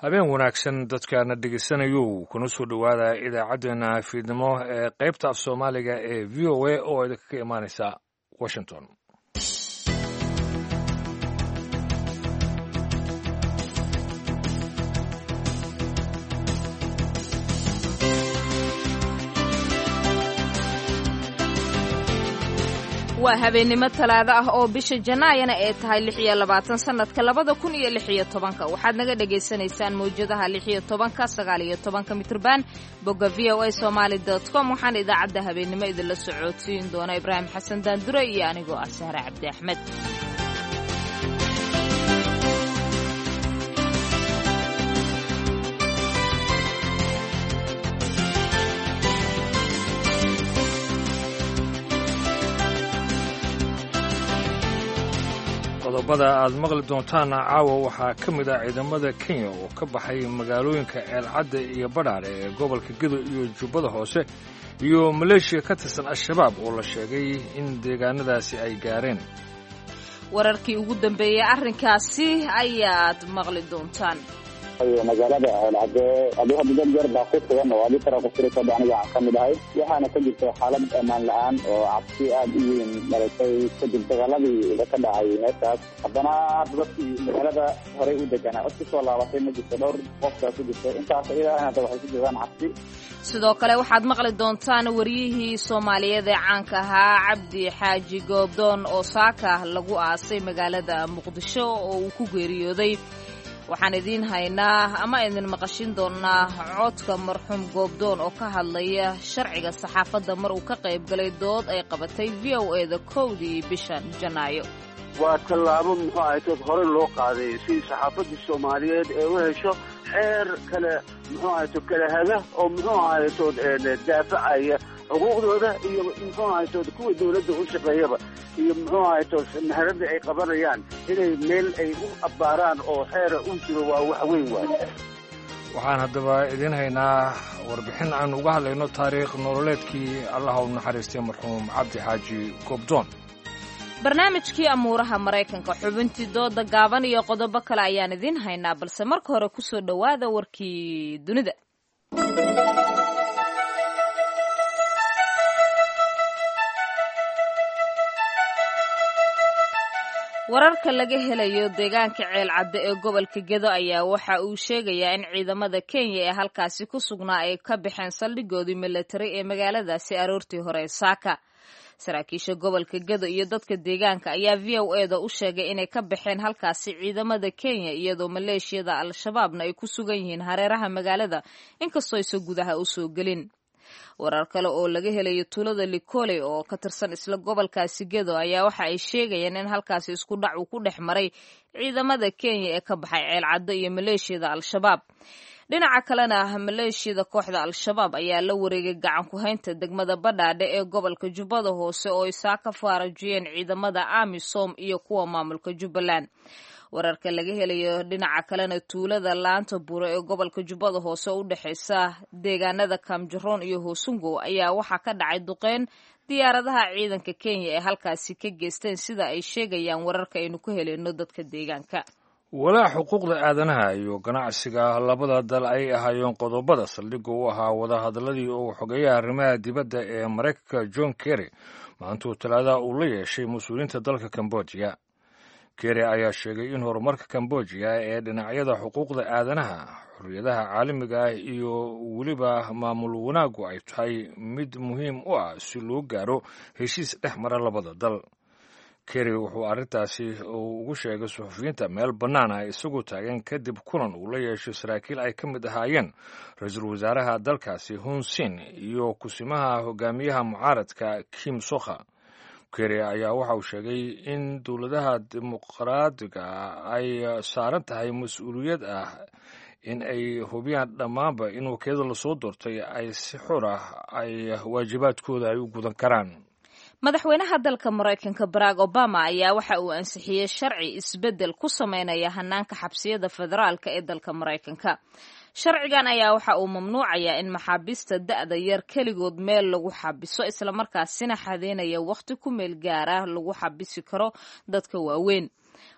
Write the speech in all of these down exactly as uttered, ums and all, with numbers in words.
Habeen wanaagsan dadkaana dhegeysanayou, kuna soo dhowaada idaacaddeenna fiidnimo ee qaybta af Soomaaliga ee V O A oo idinkaga imaanaysa Washington. Waa habeennimo talaado ah oo bisha janaayana ee tahay lix iyo labaatan sanadka labada kun iyo lix iyo tobanka. Waxaad naga dhagaysanaysaan mawjadaha lix iyo tobanka, sagaal iyo tobanka mitrban, bogga V O A Somaali dot com. Waxaan idaacadda habeennimo idinla socodsiin doona Ibraahim Xasan Daandure iyo anigoo ah Sahre Cabdi Axmed. Qodobada aad maqli doontaana caawa waxaa ka mid ah ciidamada Kenya oo ka baxay magaalooyinka Ceelcadda iyo Badhaadhe ee gobolka Gedo iyo Jubbada Hoose, iyo maleeshiya ka tirsan Al-Shabaab oo la sheegay in deegaanadaasi ay gaareen. Wararkii ugu dambeeyey arrinkaasi ayaad maqli doontaan. Magaalada Ceelcadde aduu hadda dad yar baa ku sugan oo adi tara kufurikada aniga aan ka mid ahay, waxaana ka jirta xaalad ammaan la-aan oo cabsi aada u weyn dhalatay kadib dagaaladii ka dhacay meeshaas. Haddana hadda dadkii magaalada horey u deganaa cod kusoo laabatay ma jirto, dhowr qofkaa ku jirta intaas iyada hadda waxay ku jirtaan cabsi. Sidoo kale waxaad maqli doontaan wariyihii Soomaaliyeed ee caanka ahaa Cabdi Xaaji Goobdoon oo saaka lagu aasay magaalada Muqdisho oo uu ku geeriyooday. Waxaan idiin haynaa ama idin maqashin doonaa codka marxuum Goobdoon oo ka hadlaya sharciga saxaafadda mar uu ka qayb galay dood ay qabatay V O E da kowdii bishan Janaayo. Waa tallaabo muxuu ahaytood horey loo qaaday si saxaafaddii Soomaaliyeed ee u hesho xeer kale muxuu ahaytood kala haga oo muxuu ahaytood daafacaya xuquuqdooda iyo muxuu ahaytood kuwa dawladda u shaqeeyaba iyo muxuu ahaytood meherada ay qabanayaan inay meel ay u abbaaraan oo xeera u jiro waa wax weyn waay. Waxaan haddaba idiin haynaa warbixin aan uga hadlayno taariikh nololeedkii Allah u naxariistay marxuum Cabdi Xaaji Goobdoon. Barnaamijkii amuuraha Maraykanka, xubintii dooda gaaban iyo qodobo kale ayaan idiin haynaa, balse marka hore kusoo dhowaada warkii dunida. Wararka laga helayo deegaanka Ceelcadde ee gobolka Gedo ayaa waxa uu sheegayaa in ciidamada Kenya ee halkaasi ku sugnaa ay ka baxeen saldhigoodii milatari ee magaaladaasi aroortii hore saaka. Saraakiisha gobolka Gedo iyo dadka deegaanka ayaa V O E da u sheegay inay ka baxeen halkaasi ciidamada Kenya, iyadoo maleeshiyada Al-Shabaabna ay ku sugan yihiin hareeraha magaalada inkastoo aysan gudaha u soo gelin. Warar kale oo laga helayo tuulada Likole oo ka tirsan isla gobolkaasi Gedo ayaa waxa ay sheegayaan in halkaasi isku dhac uu ku dhex maray ciidamada Kenya ee ka baxay Ceelcaddo iyo maleeshiyada Al-Shabaab. Dhinaca kalena maleeshiyada kooxda Al-Shabaab ayaa la wareegay gacan ku haynta degmada Badhaadhe ee gobolka Jubbada Hoose oo ay saa ka faarajiyeen ciidamada AMISOM iyo kuwa maamulka Jubbaland. Wararka laga helayo dhinaca kalena tuulada Laanta Buuro ee gobolka Jubbada Hoose oo u dhexeysa deegaanada Kaamjaroon iyo Hoosungow ayaa waxaa ka dhacay duqeyn diyaaradaha ciidanka Kenya ee halkaasi ka geysteen, sida ay sheegayaan wararka aynu ku heleyno dadka deegaanka. Walaa xuquuqda aadanaha iyo ganacsiga labada dal ay ahaayeen qodobada saldhigga u ahaa wadahadalladii uu xogeeyaha arrimaha dibadda ee Maraykanka John Kerry maantuu talaadaha uu la yeeshay mas-uuliyiinta dalka Kambojiya. Kerry ayaa sheegay in horumarka Kambojiya ee dhinacyada xuquuqda aadanaha, xorriyadaha caalamiga ah iyo weliba maamul wanaaggu ay tahay mid muhiim u ah si loo gaaro heshiis dhex mara labada dal. Kerry wuxuu arrintaasi ugu sheegay suxufiyiinta meel bannaan ah isagoo taagan kadib kulan uu la yeeshay saraakiil ay ka mid ahaayeen ra-iisul wasaaraha dalkaasi Hun Sen iyo kusimaha hogaamiyaha mucaaradka Kim Sokha. Kerry ayaa waxa uu sheegay in dowladaha dimuqraadiga ay saaran tahay mas-uuliyad ah in ay hubiyaan dhammaanba in wakiilada lasoo doortay ay si xor ah ay waajibaadkooda ay u gudan karaan. Madaxweynaha dalka Maraykanka Barack Obama ayaa waxa uu ansixiyey sharci isbeddel ku sameynaya hanaanka xabsiyada federaalka ee dalka Maraykanka. Sharcigan ayaa waxa uu mamnuucayaa in maxaabiista da'da yar keligood meel lagu xabiso, islamarkaasina xadeynaya wakhti ku meel gaara lagu xabisi karo dadka waaweyn.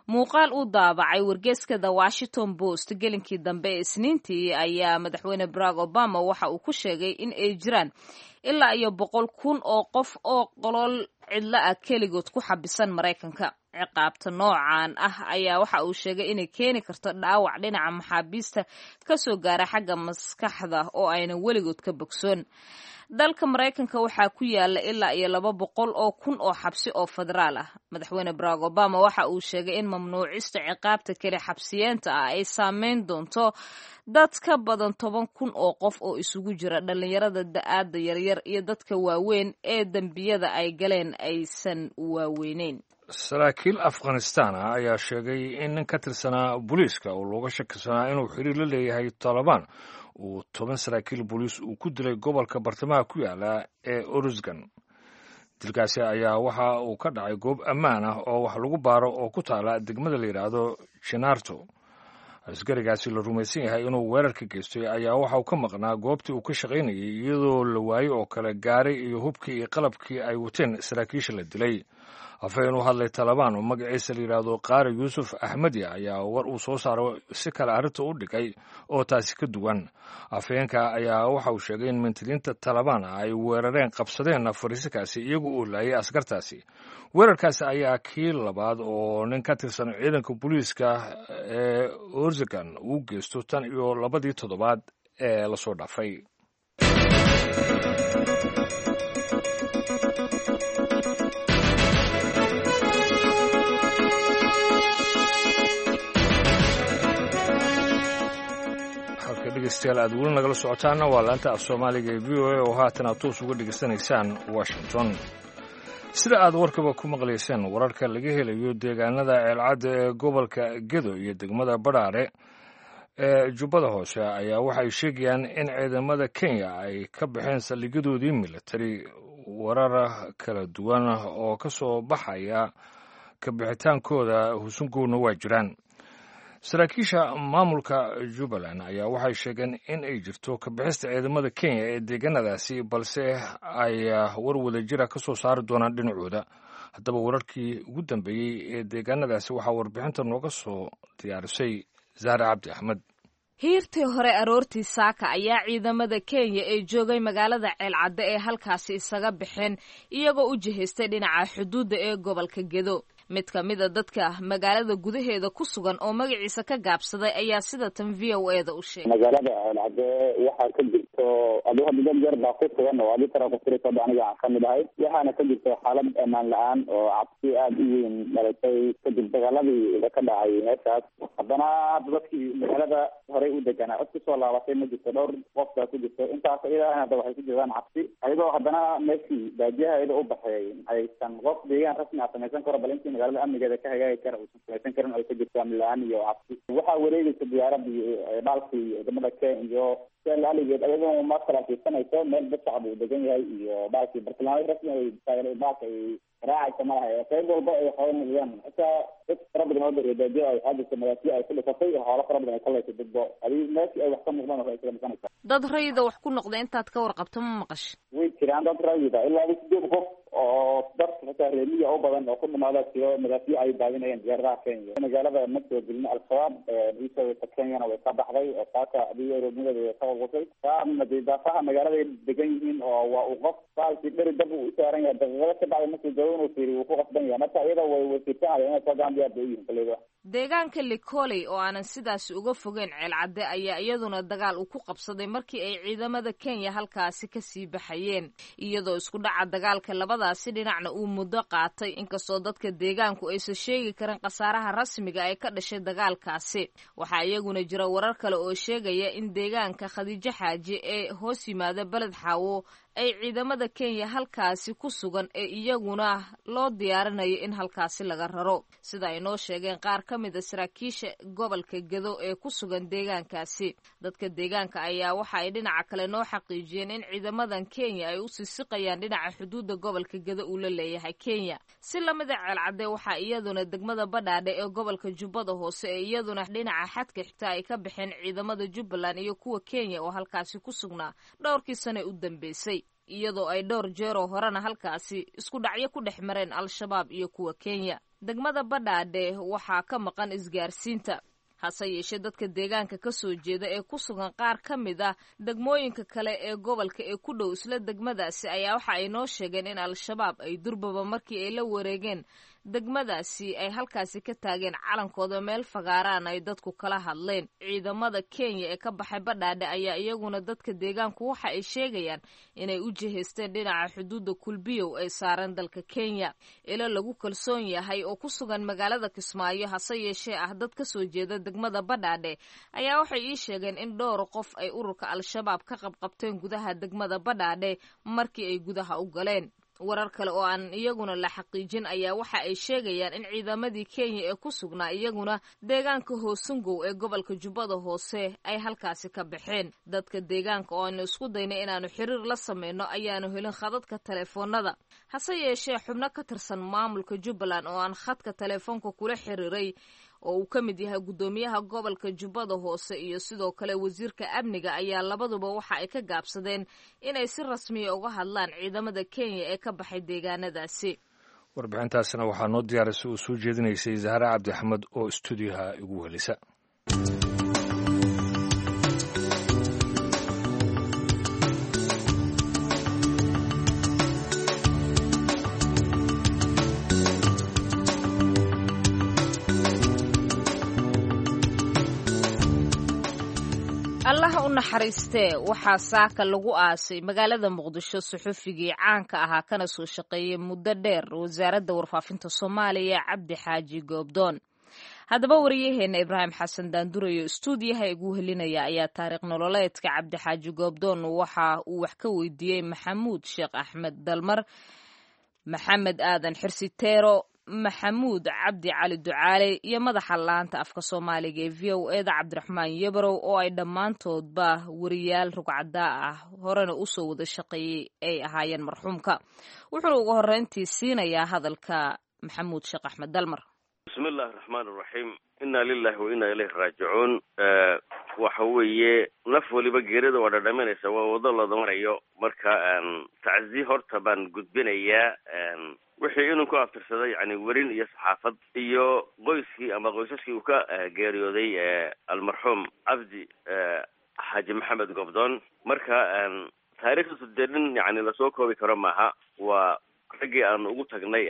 Muuqaal uu daabacay wargeyska The Washington Post gelinkii dambe ee Isniintii ayaa madaxweyne Barack Obama waxa uu ku sheegay in ay jiraan ilaa iyo boqol kun oo qof oo qolol cidlo ah keligood ku xabisan Maraykanka. Ciqaabta noocan ah ayaa waxa uu sheegay inay keeni karto dhaawac dhinaca maxaabiista kasoo gaara xagga maskaxda oo aynan weligood ka bogsoon. Dalka Maraykanka waxaa ku yaala ilaa iyo laba boqol oo kun oo xabsi oo federaal ah. Madaxweyne Barack Obama waxa uu sheegay in mamnuucista ciqaabta keli xabsiyeenta ah ay saameyn doonto dad ka badan toban kun oo qof oo isugu jira dhalinyarada da'aada yaryar iyo dadka waaweyn ee dembiyada ay galeen aysan waaweyneyn. Saraakiil Afghanistan ah ayaa sheegay in nin ka tirsanaa booliiska oo looga shakisanaa inuu xiriir la leeyahay Taalibaan uu toban saraakiil booliis uu ku dilay gobolka bartamaha ku yaala ee Oruzgan. Dilkaasi ayaa waxa uu ka dhacay goob ammaan ah oo wax lagu baaro oo ku taala degmada la yidhaahdo Jenarto. Askarigaasi la rumaysan yahay inuu weerarka geystay ayaa waxa uu ka maqnaa goobtii uu ka shaqaynayay, iyadoo la waayey oo kale gaaray iyo hubkii iyo qalabkii ay wateen saraakiisha la dilay. Afhayeen u hadlay Talabaan oo magaciisa la yidhaahdo Qaari Yuusuf Axmedi ayaa war uu soo saaro si kale arrinta u dhigay oo taasi ka duwan. Afhayeenka ayaa waxa uu sheegay in mintiliinta Talabaan ay weerareen qabsadeen fariisikaasi iyagu uu laayay askartaasi. Weerarkaasi ayaa kii labaad oo nin ka tirsan ciidanka booliiska ee Orzagan uu geysto tan iyo labadii toddobaad ee lasoo dhaafay. Halka dhegeystayaal aad weli nagala socotaana waa laanta af soomaaliga ee V O A oo haatan aad toos uga dhegeysanaysaan Washington. Sida aad warkaba ku maqlayseen, wararka laga helayo deegaanada Ceelcadda ee gobolka Gedo iyo degmada Badhaare ee Jubbada Hoose ayaa waxay sheegayaan in ciidamada Kenya ay ka baxeen saldhigyadoodii militari. Warar kala duwan oo ka soo baxaya kabixitaankooda husungoona waa jiraan. Saraakiisha maamulka Jubbaland ayaa waxay sheegeen in ay jirto kabixista ciidamada Kenya ee deegaanadaasi, balse ay war wadajira ka soo saari doonaan dhinacooda. Haddaba wararkii ugu dambeeyey ee deegaanadaasi waxaa warbixinta nooga soo diyaarisay Zahra Cabdi Axmed. Hiirtii hore aroortii saaka ayaa ciidamada Kenya ee joogay magaalada Ceelcadde ee halkaasi isaga baxeen, iyagoo u jihaystay dhinaca xuduudda ee gobolka Gedo. Mid ka mida dadka magaalada gudaheeda ku sugan oo magaciisa ka gaabsaday ayaa sida tan V O A da u sheegay. Magaalada Ceelcadde waxaa ka jirto adu hadda dad yar baa ku sugan oo adi tara ku tirisa aniga aan kamid ahay, waxaana ka jirto xaalad ammaan la-aan oo cabsi aada u weyn dhalatay kadib dagaaladii ka dhacay meeshaas. Haddana hadda dadkii magaalada horey u deganaa cod kusoo laabatay ma jirto, dhowr qof baa ku jirto intaas iyadaana hadda waxay ku jiraan cabsi, ayadoo haddana meeshii baadiyaha iyadoo u baxeeyay aysan qof deegaan rasmi ah samaysan karo, bal intii magaalada amnigeeda ka hagaagi kara uusan samaysan karin ay ka jirto amni la-aan iyo cabsi. Waxaa wareegaysa diyaaradii dhaalkii ciidamada Kenya iyo aligeed ayadoo ma kala fiirsanayso meel dad shacab uu degan yahay iyo baalkii bartilmaameed rasmi ay baalka ay raacaysa malaha. Qayb walba ay xoolo noqdaan, xitaa dad fara badan oo reebaadiyo ay waxaa jirta madaafyo ay ku dhisatay oo xoolo fara badan ay ka leysay dadbo adii meeshii ay wax ka muuqdaan waxay iskaga dhisanaysaa. Dad rayida wax ku noqda intaad ka warqabto ma maqasho? Way jiraan dad rayida ilaa sideed qof oo dad xitaa reemiya u badan oo ku dhamaada jiro madaafyo ay daadinayeen diyaaradaha Kenya. Magaalada ma soo gelin Al-Shabaab, iisoo Kenyana way ka baxday oo saaka adiga roobnimadeeda way ka qulqusay. Qaarna dee daafaha magaalada ay degan yihiin oo waa uu qof baalkii dheri dab uu u saaran yahay daqiiqado ka bacdi markuu joogo inuu fiiriyo wuu ku qasban yahay. Marka iyada way way fiirsanayaan inay soo gacan diyaar bay u yihiin koleyba. Deegaanka Likoley oo aanan sidaasi uga fogeyn Ceelcadde ayaa iyaduna dagaal uu ku qabsaday markii ay ciidamada Kenya halkaasi ka sii baxayeen, iyadoo isku dhaca dagaalka labadaasi dhinacna uu muddo qaatay, inkastoo dadka deegaanku aysan sheegi karin khasaaraha rasmiga ee ka dhashay dagaalkaasi. Waxaa iyaguna jira warar kale oo sheegaya in deegaanka Khadiijo Xaaji ee hoos yimaada Beled Xaawo ay ciidamada Kenya halkaasi ku sugan ee iyaguna loo diyaarinayo in halkaasi laga raro, sida ay noo sheegeen qaar ka mid a saraakiisha gobolka Gedo ee ku sugan deegaankaasi. Dadka deegaanka ayaa waxa ay dhinaca kale noo xaqiijiyeen in ciidamadan Kenya ay u siisiqayaan dhinaca xuduudda gobolka Gedo uu la leeyahay Kenya. Si lamida Ceelcadde, waxaa iyaduna degmada Badhaadhe ee gobolka Jubbada Hoose ee iyaduna dhinaca xadka xitaa ay ka baxeen ciidamada Jubbaland iyo kuwa Kenya oo halkaasi ku sugnaa dhowrkii sane u dambeysay, iyadoo ay dhowr jeeroo horena halkaasi isku dhacyo ku dhex mareen Al-Shabaab iyo kuwa Kenya. Degmada Badhaadhe waxaa ka maqan isgaarsiinta, hase yeeshee dadka deegaanka ka soo jeeda ee ku sugan qaar ka mid ah degmooyinka kale ee gobolka ee ku dhow isla degmadaasi ayaa waxa ay noo sheegeen in Al-Shabaab ay durbaba markii ay la wareegeen degmadaasi ay halkaasi ka taageen calankooda meel fagaaraan ay dadku kala hadleen. Ciidamada Kenya ee ka baxay Badhaadhe ayaa iyaguna dadka deegaanku waxa ay sheegayaan inay u jihaysteen dhinaca xuduudda Kulbiyow ay saaran dalka Kenya. Ilo lagu kalsoon yahay oo ku sugan magaalada Kismaayo, hase yeeshee ah dad ka soo jeeda degmada Badhaadhe, ayaa waxay ii sheegeen in dhowr qof ay ururka Al-Shabaab ka qabqabteen gudaha degmada Badhaadhe markii ay gudaha u galeen. Warar kale oo aan iyaguna la xaqiijin ayaa waxa ay sheegayaan in ciidamadii Kenya ee ku sugnaa iyaguna deegaanka Hoosungow ee gobolka Jubbada Hoose ay halkaasi ka baxeen. Dadka deegaanka oo aanu isku daynay inaanu xiriir la sameyno ayaanu helin khadadka taleefoonada, hase yeeshee xubno ka tirsan maamulka Jubbaland oo aan khadka taleefoonka kula xiriiray oo uu ka mid yahay guddoomiyaha gobolka Jubbada Hoose iyo sidoo kale wasiirka amniga ayaa labaduba waxa ay ka gaabsadeen inay si rasmiya uga hadlaan ciidamada Kenya ee ka baxay deegaanadaasi. Warbixintaasina waxaa noo diyaarisay oo soo jeedinaysay Zahra Cabdi Axmed oo istuudiyaha igu helisa. Allaha u naxariistee, waxaa saaka lagu aasay magaalada Muqdisho suxufigii caanka ahaa kana soo shaqeeyey muddo dheer wasaaradda warfaafinta Soomaaliya, Cabdi Xaaji Goobdoon. Haddaba wariyaheena Ibraahim Xasan Daandurayo istuudiyaha igu helinaya ayaa taariikh nololeedka Cabdi Xaaji Goobdoon waxa uu wax ka weydiiyey Maxamuud Sheekh Axmed Dalmar, Maxamed Aadan Xirsi Teero, Maxamuud Cabdi Cali Ducaale iyo madaxa laanta afka Soomaaliga ee V O eda Cabdiraxmaan Yabrow, oo ay dhammaantoodba wariyaal rugcadaa ah horena usoo wada shaqeeyey ay ahaayeen marxuumka. Wuxuuna ugu horreyntii siinayaa hadalka Maxamuud Sheekh Axmed Dalmar. Bismi illahi raxmaan iraxiim, inna lilahi wa inna ilayhi raajicuun. Waxa weeye naf waliba geerida waa dhadhaminaysa, waa wado looda marayo. Marka tacsiye horta baan gudbinayaa wixii inuu ku aftirsaday, yani werin iyo saxaafad iyo qoyskii ama qoysaskii uu ka geeriyooday almarxuum Cabdi Xaaji Maxamed Goobdoon. Marka taariikhdiisu dee nin yani lasoo koobi karo maaha. Waa raggii aan ugu tagnay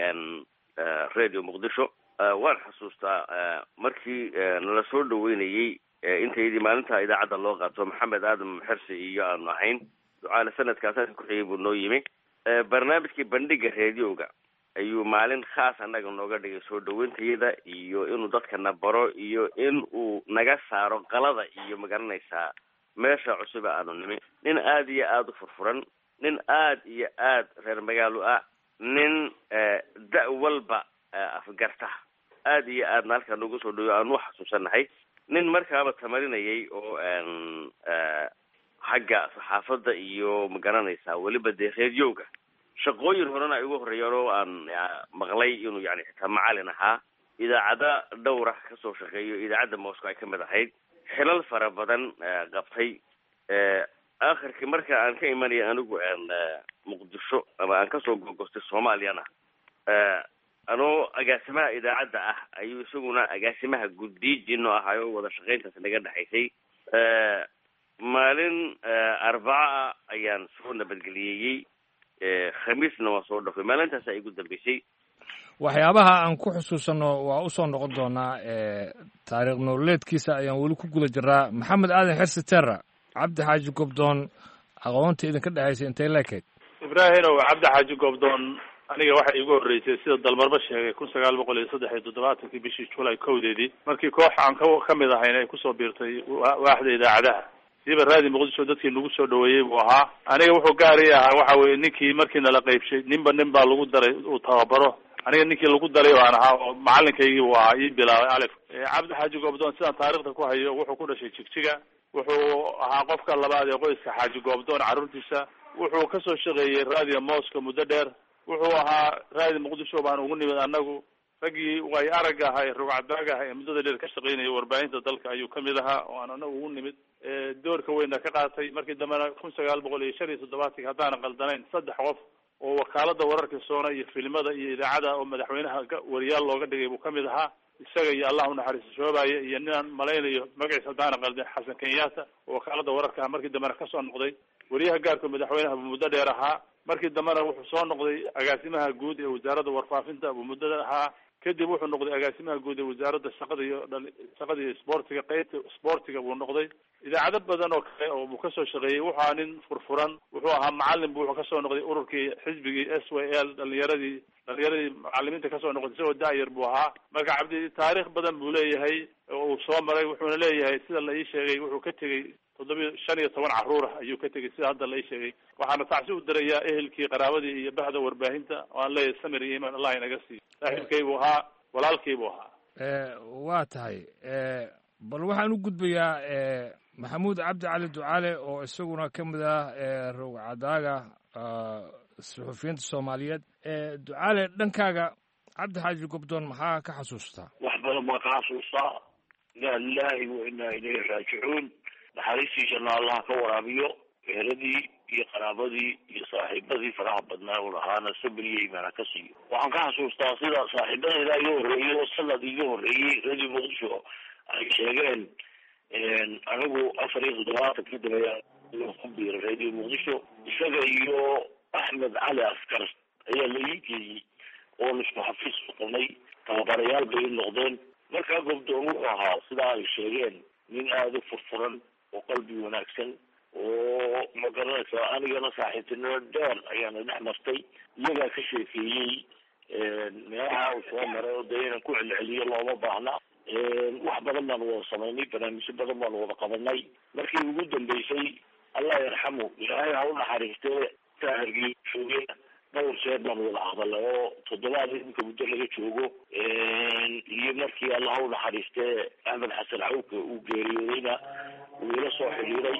Radio Muqdisho. Waan xusuustaa markii nala soo dhaweynayey intaydii maalinta idaacadda loo qaato, Maxamed Aadam Xirsi iyo aanu ahayn Ducaale, sanadkaas kuxigay buu noo yimi. Barnaamijkii bandhiga radioga ayuu maalin khaas annaga nooga dhigay soo dhaweyntayada iyo inuu dadkana baro iyo in uu naga saaro qalada iyo magaranaysaa meesha cusub aanu nimi. Nin aada iyo aada u furfuran, nin aada iyo aad reer magaalo ah, nin da- walba afgarta, aada iyo aadna halkaa noogu soo dhaweyo aanu xasuusanahay. Nin markaaba tamarinayay oo xagga saxaafadda iyo magaranaysaa weliba dee radioga shaqooyin horena ay ugu horreeyeen oo aan maqlay inuu yani xitaa macalin ahaa, idaacada dhowra kasoo shaqeeyo, idaacadda Moscow ay kamid ahayd, xilal fara badan qabtay. Aakhirkii marka aan ka imanaya anigu Muqdisho ama aan kasoo gogostay Soomaaliyana, anoo agaasimaha idaacadda ah ayuu isaguna agaasimaha guddiijino ahay oo wada shaqayntaas naga dhexaysay. Maalin arbaca ayaan soo nabadgeliyeeyey, khamiisna waan soo dhafay, maalintaasa igu dambeysay. Waxyaabaha aan ku xusuusanno waa usoo noqon doonaa, taariikh nololeedkiisa ayaan weli ku guda jiraa. Maxamed Aadan Xirsi Terra, Cabdi Xaaji Goobdoon aqoonta idinka dhexaysa intay leekayd? Ibraahinow, Cabdi Xaaji Goobdoon aniga waxa iigu horreysay sida Dalmarba sheegay kun sagaal boqol iyo saddex iyo toddobaatankii bishii Julay kowdeedii, markii koox aan ka kamid ahayn ay kusoo biirtay waaxda idaacadaha. Siiba Raadi Muqdisho dadkii nagu soo dhaweeyey buu ahaa. Aniga wuxuu gaari ahaa waxa weye ninkii markii nala qaybshay, ninba nin baa lagu daray uu tababaro. Aniga ninkii lagu daray baan ahaa oo macalinkaygii buu ahaa, ii bilaabay alif. Cabdi Xaaji Goobdoon, sidaan taarikhda ku hayo, wuxuu ku dhashay Jigjiga. Wuxuu ahaa qofka labaad ee qoyska Xaaji Goobdoon carruurtiisa. Wuxuu kasoo shaqeeyey Radio Moscow muddo dheer. Wuxuu ahaa Raadi Muqdisho baan ugu nimid annagu. Raggii way aragga ahaa ee rugcadaaga ahaa ee muddada dheer ka shaqeynayay warbaahinta dalka ayuu kamid ahaa oo aan anagu ugu nimid, doorka weyna ka qaatay. Markii dambena kun sagaal boqol iyo shan iyo toddobaatanki, haddaanan qaldanayn, saddex qof oo wakaalada wararka soona iyo filimada iyo idaacada oo madaxweynaha wariyaal looga dhigay buu kamid ahaa, isaga iyo Allah unaxariisto Shoobaye iyo ninaan malaynayo magaciisa haddaanan qaldin, Xasan Kenyatta, oo wakaalada wararka ah markii dambena kasoo noqday wariyaha gaarka madaxweynaha buu muddo dheer ahaa. Markii dambena wuxuu soo noqday agaasimaha guud ee wasaaradda warfaafinta buu muddada ahaa. Kadib wuxuu noqday agaasimaha guud ee wasaaradda shaqada iyo shaqada iyo isboortiga, qeybta isboortiga buu noqday. Idaacado badan oo kale oo buu kasoo shaqeeyey. Wuxuu ahaa nin furfuran, wuxuu ahaa macalin bu wuxuu kasoo noqday ururkii xisbigii S Y L, dhalinyaradii dhalinyaradii macalimiinta kasoo noqotay isagoo da-yar buu ahaa. Marka Cabdi taariikh badan buu leeyahay oo uu soo maray. Wuxuuna leeyahay, sida la ii sheegay, wuxuu ka tegey toddobiyo shan iyo toban carruur ah ayuu ka tegey, sida hadda la ii sheegay. Waxaana tacsi u dirayaa ehelkii, qaraabadii iyo bahda warbaahinta oo aan leeyahay samir iyo iimaan Allah inaga siiyo. Saaxiibkay buu ahaa, walaalkay buu ahaa. Waa tahay. Bal waxaan u gudbayaa Maxamuud Cabdi Cali Ducaale oo isaguna ka mid ah rogcadaaga suxufiyiinta Soomaaliyeed. Ducaale, dhankaaga Cabdi Xaaji Gobdoon maxaa ka xasuustaa? Wax badan baan ka xasuustaa. Inaa lilahi wa inaa ilayhi raajicuun. Naxariistii janna Allah ka waraabiyo. Eheladii iyo qaraabadii iyo saaxiibadii faraha badnaa u lahaana sabir iyo iimaana ka siiyo. Waxaan ka xasuustaa sida saaxiibadayda iga horreeyey oo sanad iga horreeyey Radio Muqdisho ay sheegeen, anigu afar iyo toddobaatankii dambe ku biiray Radio Muqdisho. Isaga iyo Axmed Cali Askar ayaa la ii geeyey oon isku xafiis noqonay, tababarayaal bay i noqdeen. Markaa Gobdoon wuxuu ahaa, sidaa ay sheegeen, nin aada u furfuran oo qalbi wanaagsan oo ma garanaysaa. Anigana saaxiibtinimo dheer ayaana dhex martay. Iyagaa ka sheekeeyey meelaha uu soo maray oo dee inaan ku celceliyo looma baahna. Wax badan baanu wada samaynay, barnaamijyo badan baanu wada qabanay. Markii ugu dambeysay, Allah yarxamu, Ilaahay ha u naxariistee, Hargeysa jooge dhowr jeer baanu wada hadalnay oo toddobaad iminka muddo laga joogo, iyo markii Allah ha u naxariistee Axmed Xasan Cawke uu geeriyoodayna wuu ila soo xidhiiray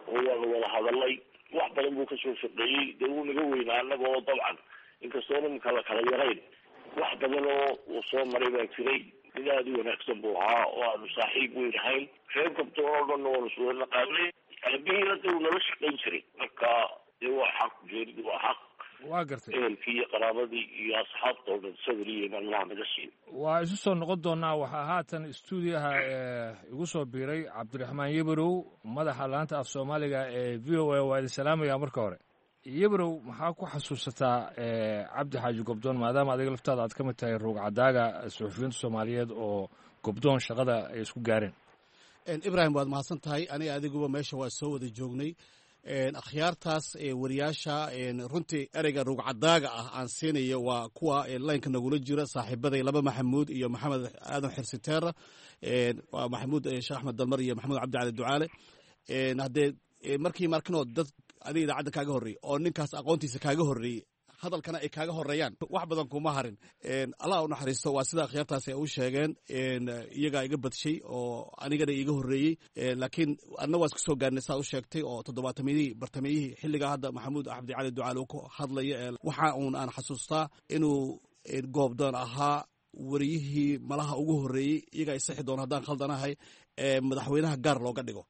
oo waanu wada hadalnay. Wax badan buu kasoo shaqeeyey. Dee wuu naga weynaa annaga oo dabcan inkastoona iminka la kala yarayn, wax badan oo uu soo maray baa jiray. Mid aada u wanaagsan buu ahaa oo aanu saaxiib weyn ahayn. Reer Gobdoon oo dhanna waanu iswada naqaanay. Aabihii hadda uu nala shaqayn jiray. Marka dee waa xaq, geeridu waa xaq. Waa gartay. Ehelkii iyo qaraabadii iyo asxaabta oo dhan sabir iyo iimaan Allah naga siiyo. Waa isu soo noqon doonaa. Waxaa haatan stuudiyaha igu soo biiray Cabdiraxmaan Yebrow, madaxa laanta af Soomaaliga ee V O A. Waa idin salaamaya marka hore. Yebrow, maxaa ku xasuusataa Cabdi Xaaji Gobdoon, maadaama adiga laftaada aad ka mid tahay ruugcadaaga suxufiyiinta Soomaaliyeed oo Gobdoon shaqada ay isku gaareen? Ibrahim, waad mahadsan tahay. Aniga adiguba meesha waa soo wada joognay. Akhyaartaas wariyaasha, runtii ereyga ruugcadaaga ah aan siinayo waa kuwa laynka nagula jira, saaxiibaday laba Maxamuud iyo Maxamed Aadan Xirsiteera, waa Maxamuud Sheekh Axmed Dalmar iyo Maxamuud Cabdi Cali Ducaale. Haddee markii markinoo dad adiga idaacadda kaaga horreeyey oo ninkaas aqoontiisa kaaga horreeyey, hadalkana ay kaaga horeeyaan, wax badan kuma harin. Allah u naxariisto. Waa sida akhyaartaasi ay u sheegeen, iyagaa iga badshay oo anigana iiga horreeyey, laakiin anna waa isku soo gaarnay saa u sheegtay oo toddobaatamiyihii bartamiyihii, xilligaa hadda Maxamuud Cabdi Cali Ducaale uu ku hadlaya. Waxa uun aan xasuustaa inuu Goobdoon ahaa wariyihii malaha ugu horreeyey, iyagaa isixi doona haddaan khaldanahay, ee madaxweynaha gaar looga dhigo.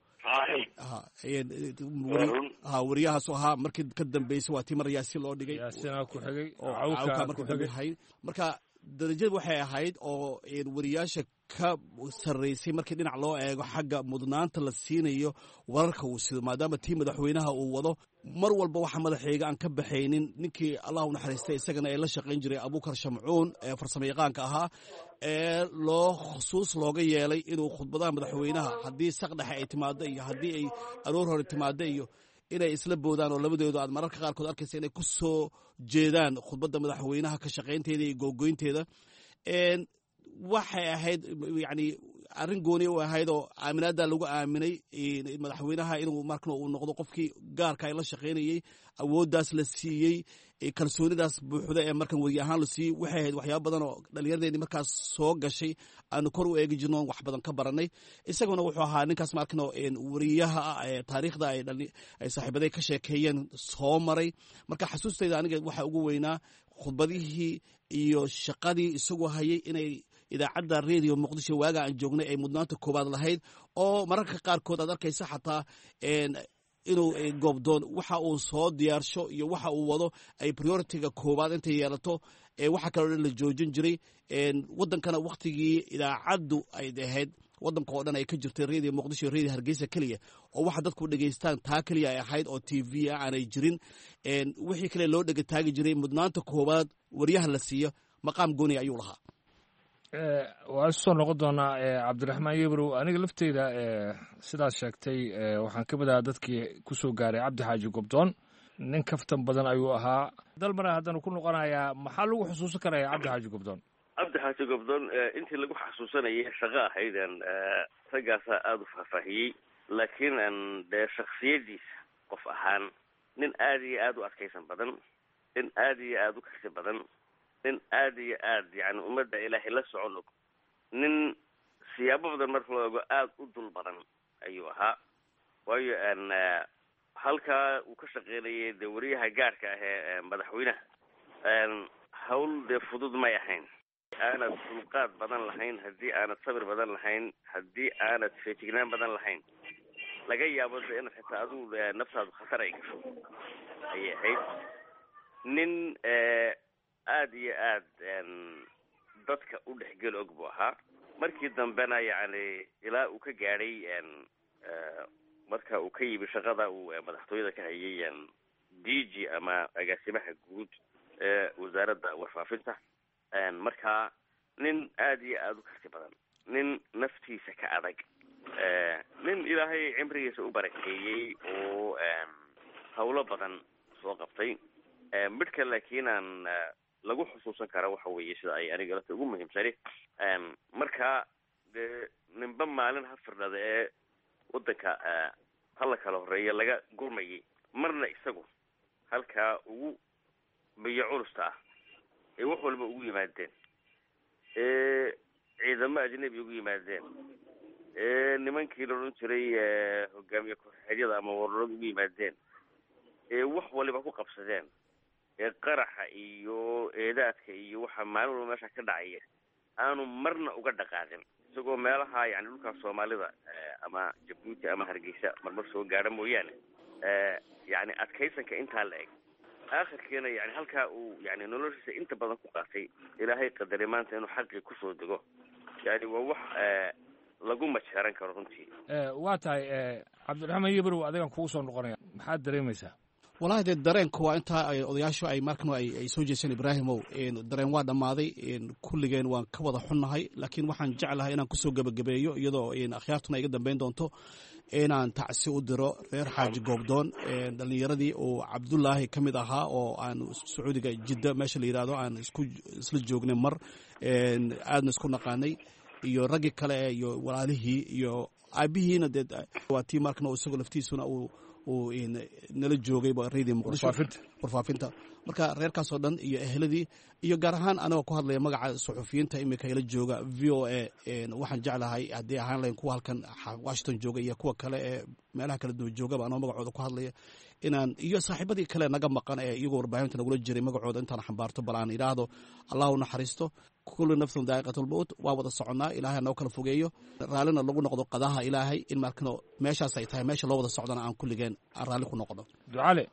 Ha, wariyahaasu ahaa. Markii ka dambeysay waa tii mar Yaasiin loo dhigay. Yaasiinaa ku xigay. Cawka markii dambe ahayd. Marka darajad waxay ahayd oo wariyaasha ka sarreysay markii dhinac loo eego xagga mudnaanta la siinayo wararka uu sido, maadaama tii madaxweynaha uu wado mar walba. Waxa madaxayga aan ka baxaynin ninkii Allah u naxariistay isagana ee la shaqayn jiray, Abuukar Shamcuun, ee farsamo yaqaanka ahaa, ee loo khusuus looga yeelay inuu khudbadaha madaxweynaha haddii saqdhexe ay timaado iyo haddii ay aroor hore timaado iyo inay isla boodaan, oo labadoodu aad mararka qaarkood arkaysa inay ku soo jeedaan khudbadda madaxweynaha ka shaqaynteeda iyo googoynteeda. Waxay ahayd yani Arrin gooni u ahayd oo aaminaadda lagu aaminay madaxweynaha inuu markan uu noqdo qofkii gaarka ay la shaqaynayey, awooddaas la siiyey, kalsoonidaas buuxda ee markan weriye ahaan la siiyey, waxay ahayd waxyaaba badan oo dhallinyaradeenii markaas soo gashay aanu kor u eegi jirno, wax badan ka baranay. Isaguna wuxuu ahaa ninkaas markan weriyaha ah ee taariikhda ay ay saaxiibaday ka sheekeeyeen soo maray. Marka xasuustayda aniga waxa ugu weynaa khudbadihii iyo shaqadii isagu hayay inay idaacadda Radio Muqdisho waaga aan joognay ay mudnaanta koowaad lahayd, oo mararka qaarkood aad arkaysa xataa inuu Goobdoon waxa uu soo diyaarsho iyo waxa uu wado ay priority-ga koowaad intay yeelato, waxa kaloo dhan la joojin jiray. Waddankana wakhtigii idaacaddu ay ahayd waddanka oo dhan ay ka jirtay Radio Muqdisho iyo Radio Hargeysa keliya, oo waxa dadku dhegeystaan taa keliya ay ahayd, oo T V ah aanay jirin, wixii kale loo dhega taagi jiray, mudnaanta koowaad waryaha la siiyo maqaam gooni ayuu lahaa. Waa isu soo noqon doonaa, Cabdiraxmaan Yebrow. Aniga lafteyda sidaad sheegtay waxaan ka mid ahaa dadkii kusoo gaaray Cabdi Xaaji Gobdoon. Nin kaftan badan ayuu ahaa. Dalmana haddana ku noqonayaa, maxaa lagu xusuusan karaya Cabdi Xaaji Gobdoon? Cabdi Xaaji Gobdoon intii lagu xasuusanayay shaqo ahayd raggaasaa aada u faahfaahiyey, laakiin dee shaksiyadiisa qof ahaan nin aada iyo aada u adkaysan badan, nin aada iyo aada u karti badan, nin aada iyo aad yani ummadda Ilaahay la socon og, nin siyaabo badan marka loo ego aada u dul badan ayuu ahaa. Waayo halkaa uu ka shaqeynayay dee wariyaha gaarka ah ee madaxweynaha hawl dee fudud may ahayn. Aanad dulqaad badan lahayn, haddii aanad sabir badan lahayn, haddii aanad feejignaan badan lahayn, laga yaabo de inaad xitaa adigu naftaadu khatar ay gasho ayay ahayd. Nin aada iyo aad dadka u dhexgel og buu ahaa. Markii dambena yacni ilaa uu ka gaadhay marka uu ka yimi shaqada uu madaxtooyada ka hayay D G ama agaasimaha guud ee wasaaradda warfaafinta. Marka nin aada iyo aada u karti badan, nin naftiisa ka adag, nin Ilaahay cimrigiisa u barakeeyey oo hawlo badan soo qabtay. Midhka laakiin aan lagu xusuusan kara waxa weeye sida ay aniga lata ugu muhiimsani, marka dee ninba maalin ha firdhada ee waddanka hala kala horeeya laga gurmayay, marna isagu halkaa ugu biyo culusta ah ee wax walba ugu yimaadeen, ee ciidamo ajnabi ugu yimaadeen, ee nimankii la odhan jiray hogaamiye ku-xigeenyada ama wararada ugu yimaadeen, ee wax waliba ku qabsadeen, ee qaraxa iyo eedaadka iyo waxa maalin walba meesha ka dhacaya aanu marna uga dhaqaaqin, isagoo meelaha yani dhulkaa Soomaalida ama Jabuuti ama Hargeysa marmar soo gaadha mooyaane, yani adkaysanka intaa la eg, aakhirkiina yani halkaa uu yani noloshiisa inta badan ku qaatay, Ilaahay qadaray maanta inuu xaqii kusoo dego, yani waa wax lagu majeeran karo runtii. Waa tahay, Cabdiraxmaan Yebrow, adigan kugu soo noqonaya, maxaad dareemaysaa? Wallahi dee dareenku waa intaa ay odayaashu ay markan ay ay soo jeeseen. Ibraahimow, dareen waa dhammaaday, kulligeen waan ka wada xunnahay, laakiin waxaan jeclahay inaan kusoo gebagabeeyo iyadoo akhyaartuna iga dambeyn doonto inaan tacsi u diro reer Xaaji Goobdoon, dhallinyaradii uu Cabdullaahi ka mid ahaa oo aan Sacuudiga Jidda meesha la yidhahdo aan isku isla joognay mar aadna isku naqaanay, iyo raggii kale iyo walaalihii iyo aabihiina dee waa tii markan isagoo laftiisuna uu uu nala joogay Radio Muqdisho warfaafinta. Marka reerkaasoo dhan iyo eheladii iyo gaar ahaan anagoo ku hadlaya magaca suxufiyiinta iminka ila jooga V O A, waxaan jeclahay haddii ahaan lahayn kuwa halkan Washington jooga iyo kuwa kale ee meelaha kala duwan joogaba anoo magacooda ku hadlaya inaan iyo saaxiibadii kale naga maqan ee iyagoo warbaahinta nagula jiray magacooda intaan xambaarto bal aan idhaahdo Allah u naxariisto. Kullu nafsin daa'iqatulmowt, waa wada soconnaa, Ilaahay noo kala fogeeyo, raallina lagu noqdo qadaha Ilaahay, in markano meeshaas ay tahay meesha loo wada socdana aan kulligeen aan raalli ku noqono. Ducale,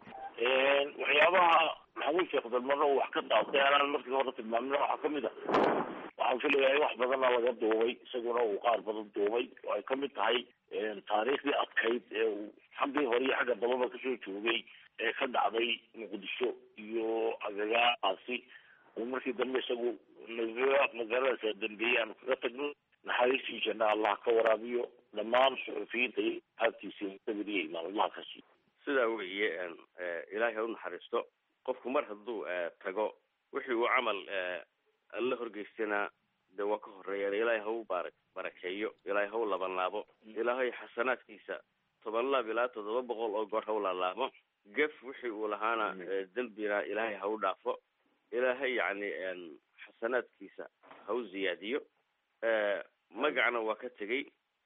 waxyaabaha Maxamuud Sheekh Dalmarna uu wax ka daatay anaan markii hore tilmaamina waxaa kamid ah, waxaan filayaa in wax badanna laga duubay, isaguna uu qaar badan duubay, oo ay kamid tahay taariikhdii adkayd ee uu xaggii hore iyo xagga dambaba kasoo joogay ee ka dhacday Muqdisho iyo agagaasi, uu markii dambe isagu magaaladaas dambeeyey aanu kaga tagno. Naxariistii janna Allah ka waraabiyo dhammaan suxufiyiinta iyo aabtiisa sabiriya imaan Allah ka siiyo. Sidaa weeye, Ilaahay ha u naxariisto. Qofku mar hadduu tago wixii uu camal alla horgeystana De waa ka horeeyaan. Ilaahay ha u baara barakeeyo, ilaahay ha u labanlaabo, ilaahay xasanaadkiisa toban laab ilaa toddoba boqol oo goor ha u laalaabo. Gef wixii uu lahaana dembina ilaahay ha u dhaafo, ilaahay yacni xasanaadkiisa ha u ziyaadiyo. Magacna waa ka tegey.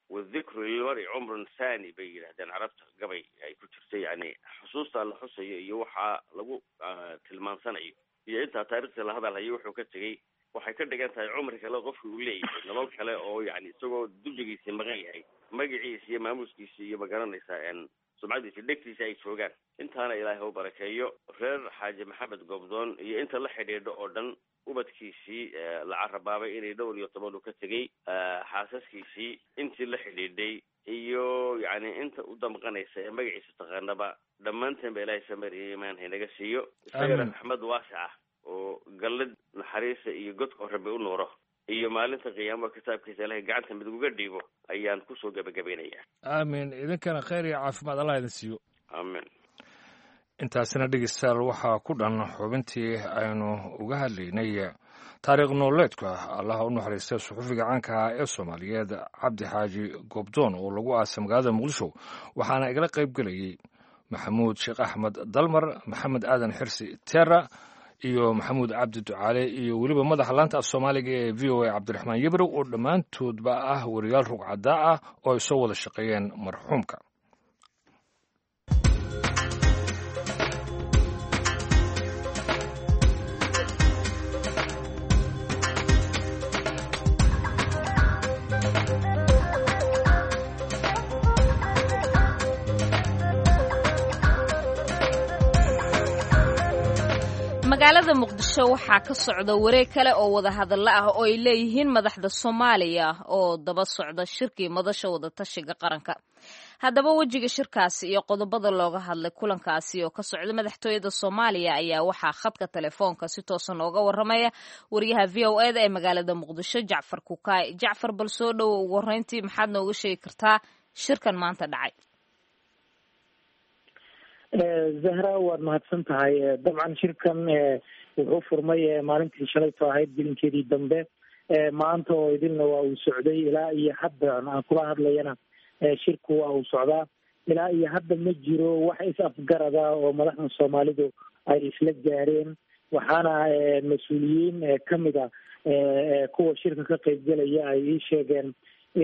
Wadhikru lilmari cumrun thani bay yidhahdeen carabta, gabay ay ku jirtay, yani xusuustaa la xusayo iyo waxaa lagu tilmaansanayo iyo intaa taarikhta la hadalhayo wuxuu ka tegey waxay ka dhigan tahay cumri kale qofki uu leeyahay, nolol kale oo yani isagoo dulligiisii maqan yahay, magaciisa iyo maamuuskiisa iyo magaranaysaa sumcadiisa dhegtiisa ay joogaan. Intaana ilaahay ha u barakeeyo reer Xaaji Maxamed Goobdoon iyo inta la xidhiidho oo dhan, ubadkiisii la carabaabay inay dhowr iyo toban uu ka tegey, xaasaskiisii, intii la xidhiidhay iyo yacni inta u damqanaysa ee magaciisa taqaanaba, dhammaanteen ba ilaahay samir iyo iimaan haynaga siiyo. Isagana raxmad waasic ah oo gallid naxariisa iyo godka oo rabbi u nuuro iyo maalinta qiyaamaha kitaabkiisa ilaahay gacanta mid uga dhiibo ayaan kusoo gebagabaynayaa. Aamin. Idinkana khayr iyo caafimaad Allah idin siiyo. Aamin. Intaasina dhegeystayaal waxaa ku dhan xubintii aynu uga hadlaynay taariikh nololeedka Allaha u naxariista suxufiga caanka ah ee Soomaaliyeed Cabdi Xaaji Goobdoon oo lagu aasay magaalada Muqdisho, waxaana igala qayb gelayey Maxamuud Sheekh Axmed Dalmar, Maxamed Aadan Xirsi Teera iyo Maxamuud Cabdi Ducaale iyo weliba madaxa laanta af Soomaaliga ee V O A Cabdiraxmaan Yebrow, oo dhammaantoodba ah wariyaal rugcadaa ah oo ay soo wada shaqeeyeen marxuumka. Magaalada Muqdisho waxaa ka socda wareeg kale oo wadahadallo ah oo ay leeyihiin madaxda Soomaaliya oo daba socda shirkii madasha wadatashiga qaranka. Haddaba wejiga shirkaasi iyo qodobada looga hadlay kulankaasi oo ka socda madaxtooyada Soomaaliya ayaa waxaa khadka telefoonka si toosa nooga waramaya wariyaha V O E da ee magaalada Muqdisho, Jacfar Kukaay. Jacfar, bal soo dhowo, ugu horreyntii maxaad nooga sheegi kartaa shirkan maanta dhacay? Zahra, waad mahadsan tahay. Dabcan shirkan wuxuu furmay maalintii shalayto ahayd gelinkeedii dambe, maanta oo idilna waa uu socday ilaa iyo hadda aan kula hadlayana shirku waa uu socdaa. Ilaa iyo hadda ma jiro wax is afgarada oo madaxda Soomaalidu ay isla gaareen, waxaana mas-uuliyiin kamid a kuwa shirka ka qaybgelaya ay ii sheegeen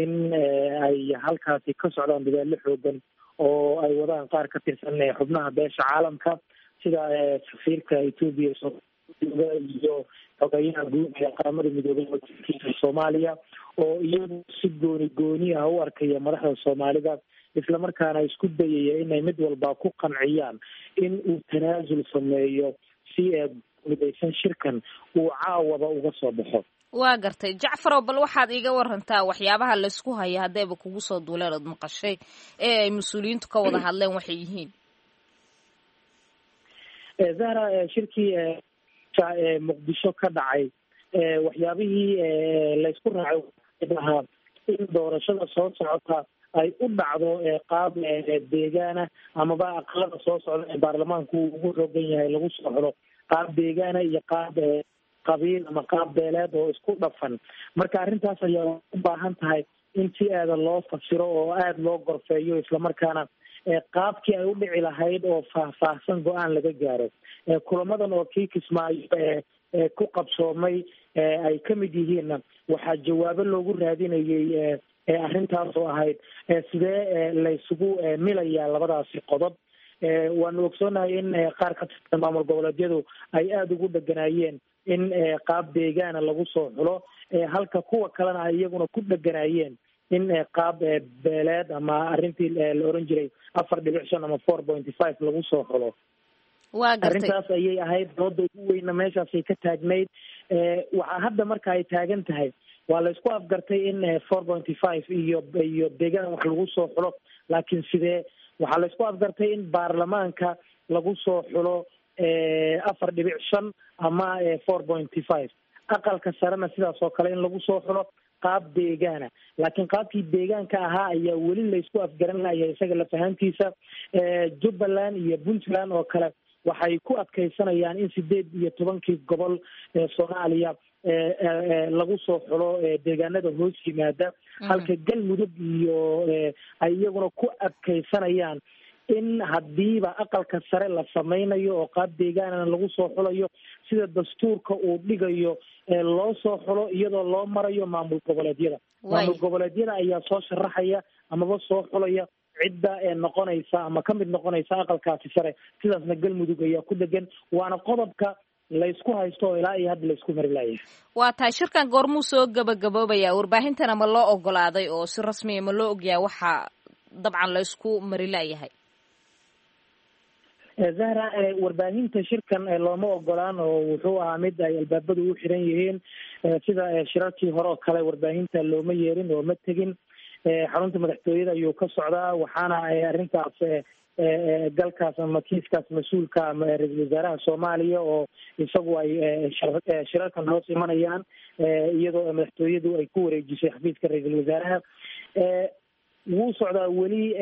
in ay halkaasi ka socdaan dadaallo xoogan oo ay wadaan qaar ka tirsan xubnaha beesha caalamka, sida safiirka Etoobiya iyo xogeyaha guud ee Qaramada Midoobay wakiilkiisa Soomaaliya, oo iyagu si gooni gooni ah u arkaya madaxda Soomaalida, islamarkaana isku dayaya inay mid walba ku qanciyaan in uu tanaasul sameeyo si midaysan shirkan uu caawaba uga soo baxo. Waa gartay Jacfarow, bal waxaad iiga warantaa waxyaabaha laysku haya haddayba kugu soo duuleen ood maqashay ee ay mas-uuliyiintu ka wada hadleen waxay yihiin. Zahra, shirkii Muqdisho ka dhacay waxyaabihii laysku raacay ahaa in doorashada soo socota ay u dhacdo qaab deegaana, amaba aqalada soo socda ee baarlamaanku uu ugu xoogan yahay lagu soo xulo qaab deegaana iyo qaab qabiil ama qaab beeleed oo isku dhafan. Marka arrintaas ayaa u baahan tahay in si aada loo fasiro oo aada loo gorfeeyo, islamarkaana qaabkii ay u dhici lahayd oo faahfaahsan go-aan laga gaaro. Kulamadan oo kii Kismaayo ee ku qabsoomay ay ka mid yihiinna waxaa jawaabo loogu raadinayay arrintaas oo ahayd sidee laysugu milayaa labadaasi qodob. Waanu ogsoonahay in qaar ka tirsan maamul goboleedyadu ay aada ugu dheganaayeen in qaab deegaana lagu soo xulo, halka kuwa kalena ay iyaguna ku dheganaayeen in qaab beeleed ama arrintii la oran jiray afar dhibic shan ama four point five lagu soo xulo. Waa gartay. Arrintaas ayay ahayd dooda ugu weyna meeshaasay ka taagnayd. Waxaa hadda marka ay taagan tahay waa la isku afgartay in four point five iyo iyo deegaan wax lagu soo xulo, laakiin sidee? Waxaa la isku afgartay in baarlamaanka lagu soo xulo afar dhibic shan ama four point five, aqalka sarena sidaas oo kale in lagu soo xulo qaab deegaana, laakiin qaabkii deegaanka ahaa ayaa weli laysku afgaran lahayaa isaga lafahantiisa. Jubbaland iyo Puntland oo kale waxay ku adkaysanayaan in sideed iyo tobankii gobol ee Soomaaliya lagu soo xulo deegaanada hoos yimaada, halka Galmudug iyo ay iyaguna ku adkaysanayaan in haddiiba aqalka sare la sameynayo oo qaab deegaanana lagu soo xulayo sida dastuurka uu dhigayo loo soo xulo iyadoo loo marayo maamul goboleedyada. Maamul goboleedyada ayaa soo sharaxaya amaba soo xulaya cidda ee noqonaysa ama ka mid noqonaysa aqalkaasi sare, sidaasna Galmudug ayaa ku dhegan, waana qodobka laysku haysto oo ilaa iyo hadda laysku mari layahay. Waa tahay, shirkan goormuu soo gabagaboobaya? Warbaahintana ma loo ogolaaday oo si rasmiya ma loo ogyahay waxa dabcan laysku mari layahay? Zahra, warbaahinta shirkan looma ogolaan oo wuxuu ahaa mid ay albaabadu u xiran yihiin. Sida shirarkii hore oo kale warbaahinta looma yeerin oo ma tegin. Xarunta madaxtooyada ayuu ka socdaa, waxaana arrintaas galkaas ama kiiskaas mas-uulka ama ra-iisul wasaaraha Soomaaliya oo isagu ay shirarkan hoos imanayaan, iyadoo madaxtooyadu ay ku wareejisay xafiiska ra-iisul wasaaraha. Wuu socdaa weli.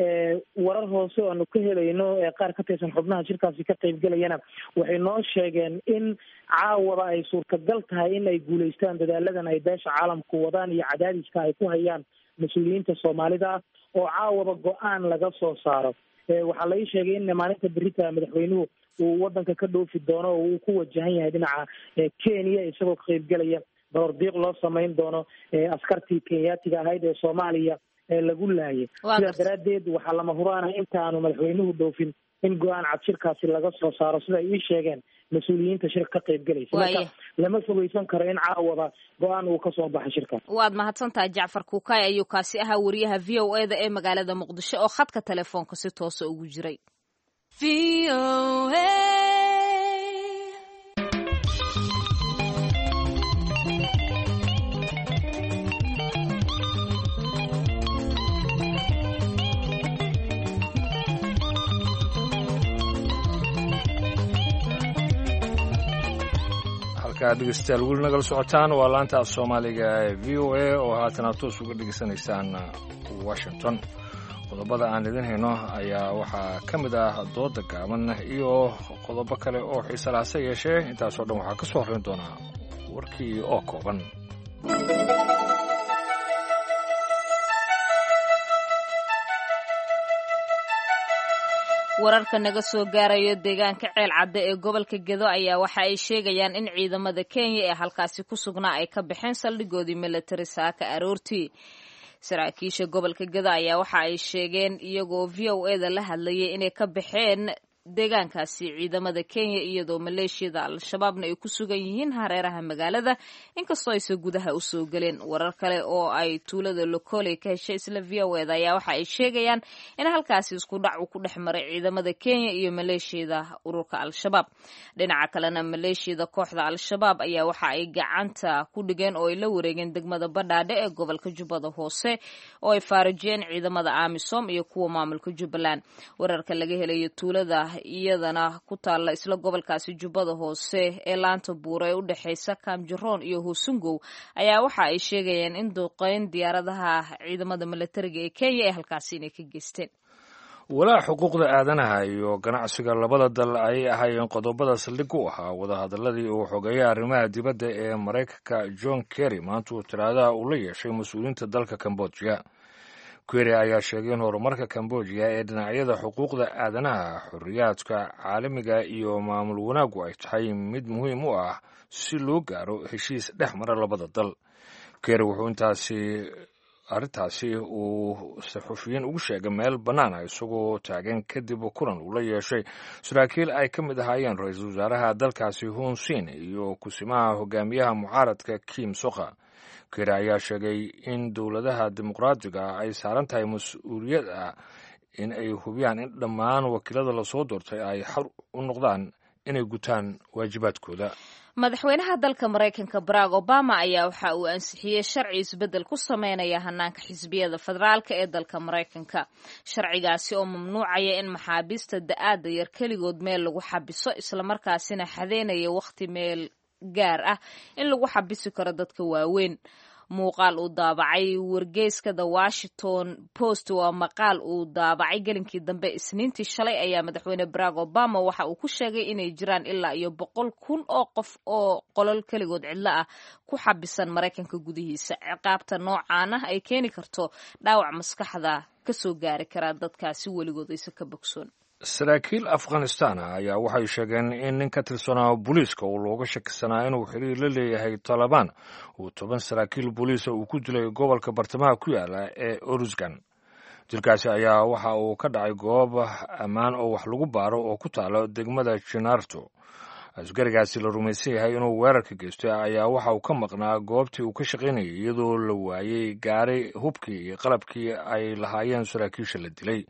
Warar hoose oo aanu ka helayno qaar ka tirsan xubnaha shirkaasi ka qaybgelayana waxay noo sheegeen in caawaba ay suurtagal tahay in ay guulaystaan dadaaladan ay beesha caalamku wadaan iyo cadaadiska ay ku hayaan mas-uuliyiinta Soomaalida ah, oo caawaba go-aan laga soo saaro. Waxaa la ii sheegay in maalinta berita madaxweynuhu uu wadanka ka dhoofi doono oo uu ku wajahan yahay dhinaca Kenya, isagoo ka qaybgelaya baroordiiq loo samayn doono askartii Kenyaatiga ahayd ee Soomaaliya lagu laayay. Sidaas daraaddeed waxaa lama huraana intaanu madaxweynuhu dhoofin in go-aan cad shirkaasi laga soo saaro, sida ay ii sheegeen mas-uuliyiinta shirka ka qaybgelaysa. Marka lama fogeysan karo in caawaba go-aan uu kasoo baxay shirkaas. Waad mahadsantahay Jacfar Kuukay ayuu kaasi ahaa, wariyaha V O E da ee magaalada Muqdisho oo khadka telefoonka si toosa ugu jiray. Dhegeystayaal weli nagala socotaan waa laanta af soomaaliga ee V O A oo haatan aad toos uga dhegeysanaysaan Washington. Qodobada aan idin hayno ayaa waxaa ka mid ah dooda gaaban iyo qodobo kale oo xiise leh, hase yeeshee intaasoo dhan waxaa ka soo horreyn doonaa warkii oo kooban. Wararka naga soo gaarayo deegaanka Ceel Cadde ee gobolka Gedo ayaa waxa ay sheegayaan in ciidamada Kenya ee halkaasi ku sugnaa ay ka baxeen saldhigoodii military saaka aroortii. Saraakiisha gobolka Gedo ayaa waxa ay sheegeen iyagoo V O E da la hadlayay inay ka baxeen deegaankaasi ciidamada Kenya, iyadoo maleeshiyada Al-Shabaabna ay ku sugan yihiin hareeraha magaalada, inkastoo ayse gudaha usoo galeen. Warar kale oo ay tuulada Lokole ka heshay isla V O E da ayaa waxa ay sheegayaan in halkaasi isku dhac uu ku dhex maray ciidamada Kenya iyo maleeshiyada ururka Al-Shabaab. Dhinaca kalena maleeshiyada kooxda Al-Shabaab ayaa waxa ay gacanta ku dhigeen oo ay la wareegeen degmada Badhaadhe ee gobolka Jubbada Hoose oo ay faarajiyeen ciidamada AMISOM iyo kuwa maamulka Jubbaland. Wararka laga helayo tuulada iyadana ku taalla isla gobolkaasi Jubbada Hoose ee laanta buura ee u dhexeysa Kaamjaroon iyo Hoosungow ayaa waxa ay sheegayeen in duqeyn diyaaradaha ciidamada milatariga ee Kenya ee halkaasi inay ka geysteen. Walaac xuquuqda aadanaha iyo ganacsiga labada dal ayay ahaayeen qodobada saldhig u ahaa wadahadaladii uu xogeeyay arrimaha dibadda ee Maraykanka John Kerry maantuu talaadaha uu la yeeshay mas-uuliyiinta dalka Kambojiya. Kerry ayaa sheegay in horumarka Kambojiya ee dhinacyada xuquuqda aadanaha, xorriyaadka caalamiga iyo maamul wanaaggu ay tahay mid muhiim u ah si loo gaaro heshiis dhex mara labada dal. Kerry wuxuu intaasi arrintaasi uu saxufiyiin ugu sheegay meel bannaan ah isagoo taagan kadib kulan uu la yeeshay saraakiil ay ka mid ahaayeen ra-iisul wasaaraha dalkaasi Hun Sen iyo kusimaha hogaamiyaha mucaaradka Kim Sokha. Kerry ayaa sheegay in dowladaha dimuqraadiga ay saaran tahay mas-uuliyad ah in ay hubiyaan in dhammaan wakiilada lasoo doortay ay xor u noqdaan inay gutaan waajibaadkooda. Madaxweynaha dalka Maraykanka Barack Obama ayaa waxa uu ansixiyey sharci isbeddel ku sameynaya hanaanka xisbiyada federaalka ee dalka Maraykanka. Sharcigaasi oo mamnuucaya in maxaabiista da'aadda yar keligood meel lagu xabiso, islamarkaasina xadeynaya wakhti meel gaar ah in lagu xabisi karo dadka waaweyn. Muuqaal uu daabacay wargeyska The Washington Post waa maqaal uu daabacay gelinkii dambe Isniintii shalay ayaa madaxweyne Barack Obama waxa uu ku sheegay inay jiraan ilaa iyo boqol kun oo qof oo qolol keligood cidlo ah ku xabisan Maraykanka gudihiisa. Ciqaabta noocaan ah ay keeni karto dhaawac maskaxda kasoo gaari karaa dadkaasi weligood aysan ka bogsoon. Saraakiil Afghanistan ah ayaa waxay sheegeen in nin ka tirsanaa booliiska oo looga shakisanaa inuu xiriir la leeyahay Taalibaan uu toban saraakiil booliisa uu ku dilay gobolka bartamaha ku yaala ee Oruzgan. Dilkaasi ayaa waxa uu ka dhacay goob ammaan oo wax lagu baaro oo ku taalo degmada Jenarto. Asgarigaasi la rumaysan yahay inuu weerarka geystay ayaa waxa uu ka maqnaa goobtii uu ka shaqaynayay, iyadoo la waayey gaari hubkii iyo qalabkii ay lahaayeen saraakiisha la dilay.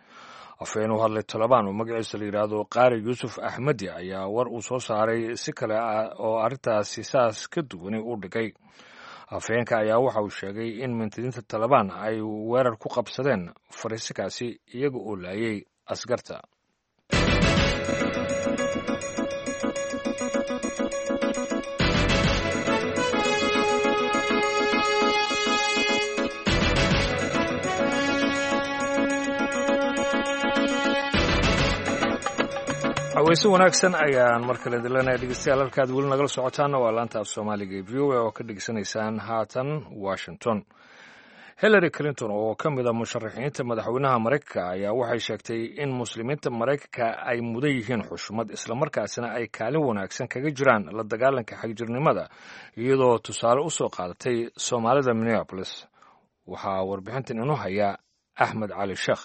Afhayeen u hadlay Talabaan oo magaciisa la yidhaahdo Qaari Yuusuf Axmedi ayaa war uu soo saaray si kale oo arrintaasi saas ka duwani u dhigay. Afhayeenka ayaa waxa uu sheegay in mintidiinta Talabaan ay weerar ku qabsadeen fariisikaasi iyaga oo laayay askarta. Haweyse wanaagsan ayaan mar kale dilanaya dhegeystayaal. Halkaad weli nagala socotaanna waa laanta af Soomaaliga ee V O A oo ka dhegeysanaysaan haatan Washington. Hillary Clinton oo ka mid a musharaxiinta madaxweynaha Maraykanka ayaa waxay sheegtay in muslimiinta Maraykanka ay mudan yihiin xushmad, islamarkaasina ay kaalin wanaagsan kaga jiraan la dagaalanka xagjirnimada, iyadoo tusaale u soo qaadatay Soomaalida Minneapolis. Waxaa warbixintan inoo haya Axmed Cali Sheekh.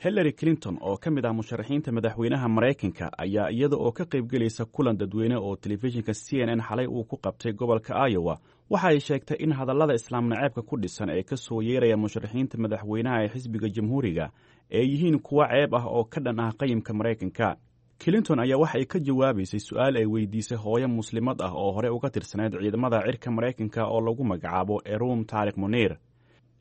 Hillary Clinton oo ka mid ah musharaxiinta madaxweynaha Maraykanka ayaa iyada oo ka qaybgelaysa kulan dadweyne oo telefishinka C N N xalay uu ku qabtay gobolka Iowa waxa ay sheegtay in hadallada islaam naceebka ku dhisan ee ka soo yeeraya musharaxiinta madaxweynaha ee xisbiga Jamhuuriga ay yihiin kuwo ceeb ah oo ka dhan ah qayimka Maraykanka. Clinton ayaa waxa ay ka jawaabaysay su-aal ay weydiisay hooyo muslimad ah oo hore uga tirsanayd ciidamada cirka Maraykanka oo lagu magacaabo Erum Taariq Muniir.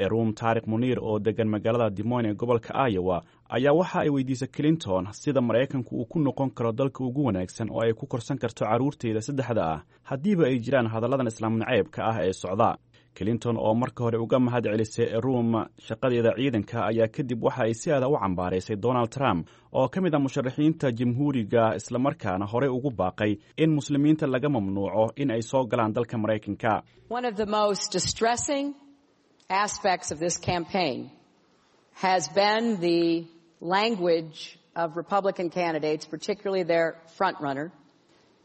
Erum Taariq Muniir oo degan magaalada Des Moines ee gobolka Iowa ayaa waxa ay weydiisay Clinton sida Maraykanku uu ku noqon karo dalka ugu wanaagsan oo ay ku korsan karto carruurteeda saddexda ah haddiiba ay jiraan hadalladan islaam naceebka ah ee socda. Clinton oo marka hore uga mahad celisay Erum shaqadeeda ciidanka ayaa kadib waxa ay si aada u cambaaraysay Donald Trump oo ka mid ah musharaxiinta Jamhuuriga, islamarkaana horey ugu baaqay in muslimiinta laga mamnuuco in ay soo galaan dalka Maraykanka. Aspects of this campaign has been the language of Republican candidates, particularly their frontrunner,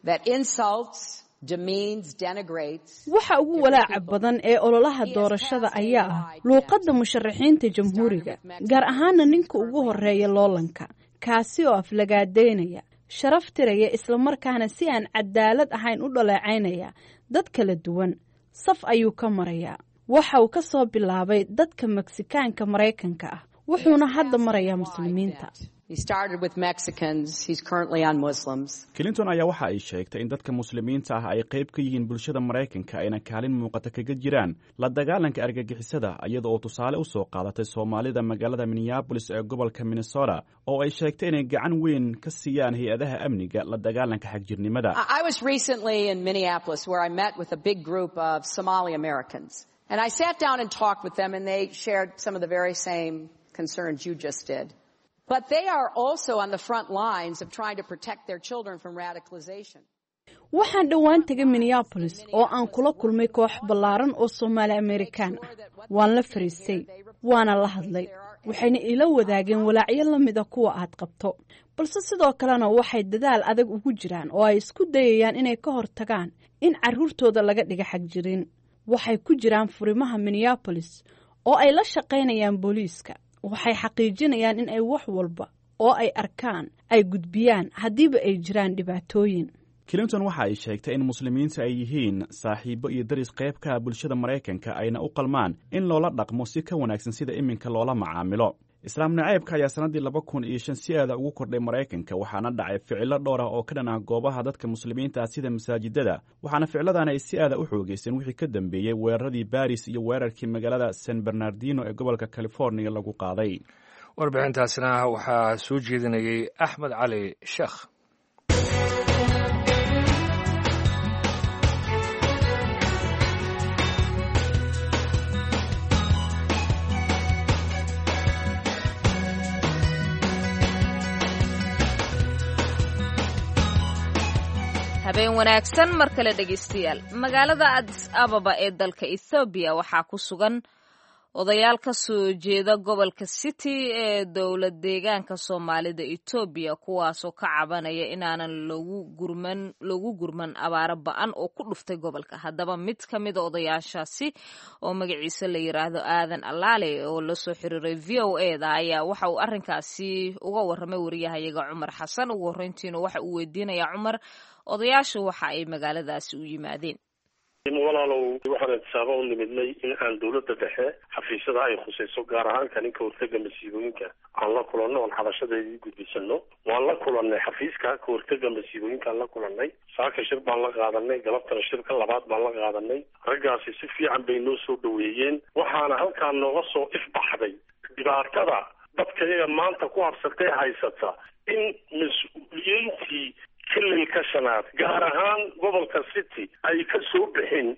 that insults, demeans, denigrates. Waxa ugu walaaca badan ee ololaha doorashada ayaa ah luuqadda musharaxiinta Jamhuuriga, gaar ahaana ninka ugu horeeya loolanka, kaasi oo aflagaadeynaya, sharaf tiraya, islamarkaana si aan cadaalad ahayn u dhaleecaynaya dad kala duwan. Saf ayuu ka marayaa. Waxa uu ka soo bilaabay dadka Meksikaanka Maraykanka ah, wuxuuna hadda marayaa muslimiinta. Clinton ayaa waxa ay sheegtay in dadka muslimiinta ah ay qayb ka yihiin bulshada Maraykanka ayna kaalin muuqata kaga jiraan la dagaalanka argagixisada, iyada oo tusaale u soo qaadatay Soomaalida magaalada Minneapolis ee gobolka Minnesota oo ay sheegtay inay gacan weyn ka siiyaan hay-adaha amniga la dagaalanka xagjirnimada. I was recently in Minneapolis where I met with a big group of Somali Americans. And I sat down and talked with them, and they shared some of the very same concerns you just did. But they are also on the front lines of trying to protect their children from radicalization. Waxaan dhowaan tegay Minneapolis oo aan kula kulmay koox ballaaran oo Soomaali Amerikaan ah. Waan la fariistay, waana la hadlay, waxayna ila wadaageen walaacyo la mida kuwa aad qabto. Balse sidoo kalena waxay dadaal adag ugu jiraan oo ay isku dayayaan inay ka hortagaan in carruurtooda laga dhiga xagjirin. Waxay ku jiraan furimaha Minneapolis oo ay la shaqaynayaan booliiska. Waxay xaqiijinayaan in ay wax walba oo ay arkaan ay gudbiyaan haddiiba ay jiraan dhibaatooyin. Clinton waxa ay sheegtay in muslimiinta ay yihiin saaxiibo iyo daris qayb ka ah bulshada Maraykanka ayna u qalmaan in loola dhaqmo si ka wanaagsan sida iminka loola macaamilo. Islaam naceebka ayaa sannaddii laba kun iyo shan si aada ugu kordhay Maraykanka, waxaana dhacay ficilo dhowr ah oo ka dhan ah goobaha dadka muslimiinta ah sida masaajidada, waxaana ficiladan ay si aada u xoogeysteen wixii ka dambeeyey weeraradii Baris iyo weerarkii magaalada San Bernardino ee gobolka California lagu qaaday. Warbixintaasina waxaa soo jeedinayay Axmed Cali Sheekh. Habeen wanaagsan mar kale dhegaystayaal. Magaalada Addis Ababa ee dalka Ethoobiya waxaa ku sugan odayaal ka soo jeeda gobolka City ee dowlad deegaanka Soomaalida Etoobiya, kuwaasoo ka cabanaya inaanan loogu gurman loogu gurman abaaro ba-an oo ku dhuftay gobolka. Haddaba mid ka mida odayaashaasi oo magaciisa la yiraahdo Aadan Allaale oo la soo xiriiray V O A da ayaa waxa uu arrinkaasi uga warramay wariyahayaga Cumar Xasan. Ugu horreyntiina waxa uu weydiinayaa Cumar odayaashu waxa ay magaaladaasi u yimaadeen. Walaalow, waxaan intisaaba u nimidnay in aan dowladda dhexe xafiisyada ay khusayso, gaar ahaan kaninka hortega masiibooyinka, aan la kulanno oon xabashadeedii gudbisano. Waan la kulannay xafiiska ka hortega masiibooyinkaan la kulannay. Saaka shir baan la qaadanay, galabtana shirka labaad baan la qaadanay. Raggaasi si fiican bay noo soo dhaweeyeen, waxaana halkaa nooga soo ifbaxday dhibaatada dadka iyaga maanta ku habsatee haysata in mas-uuliyiintii xililka shanaad, gaar ahaan gobolka City, ay ka soo bixin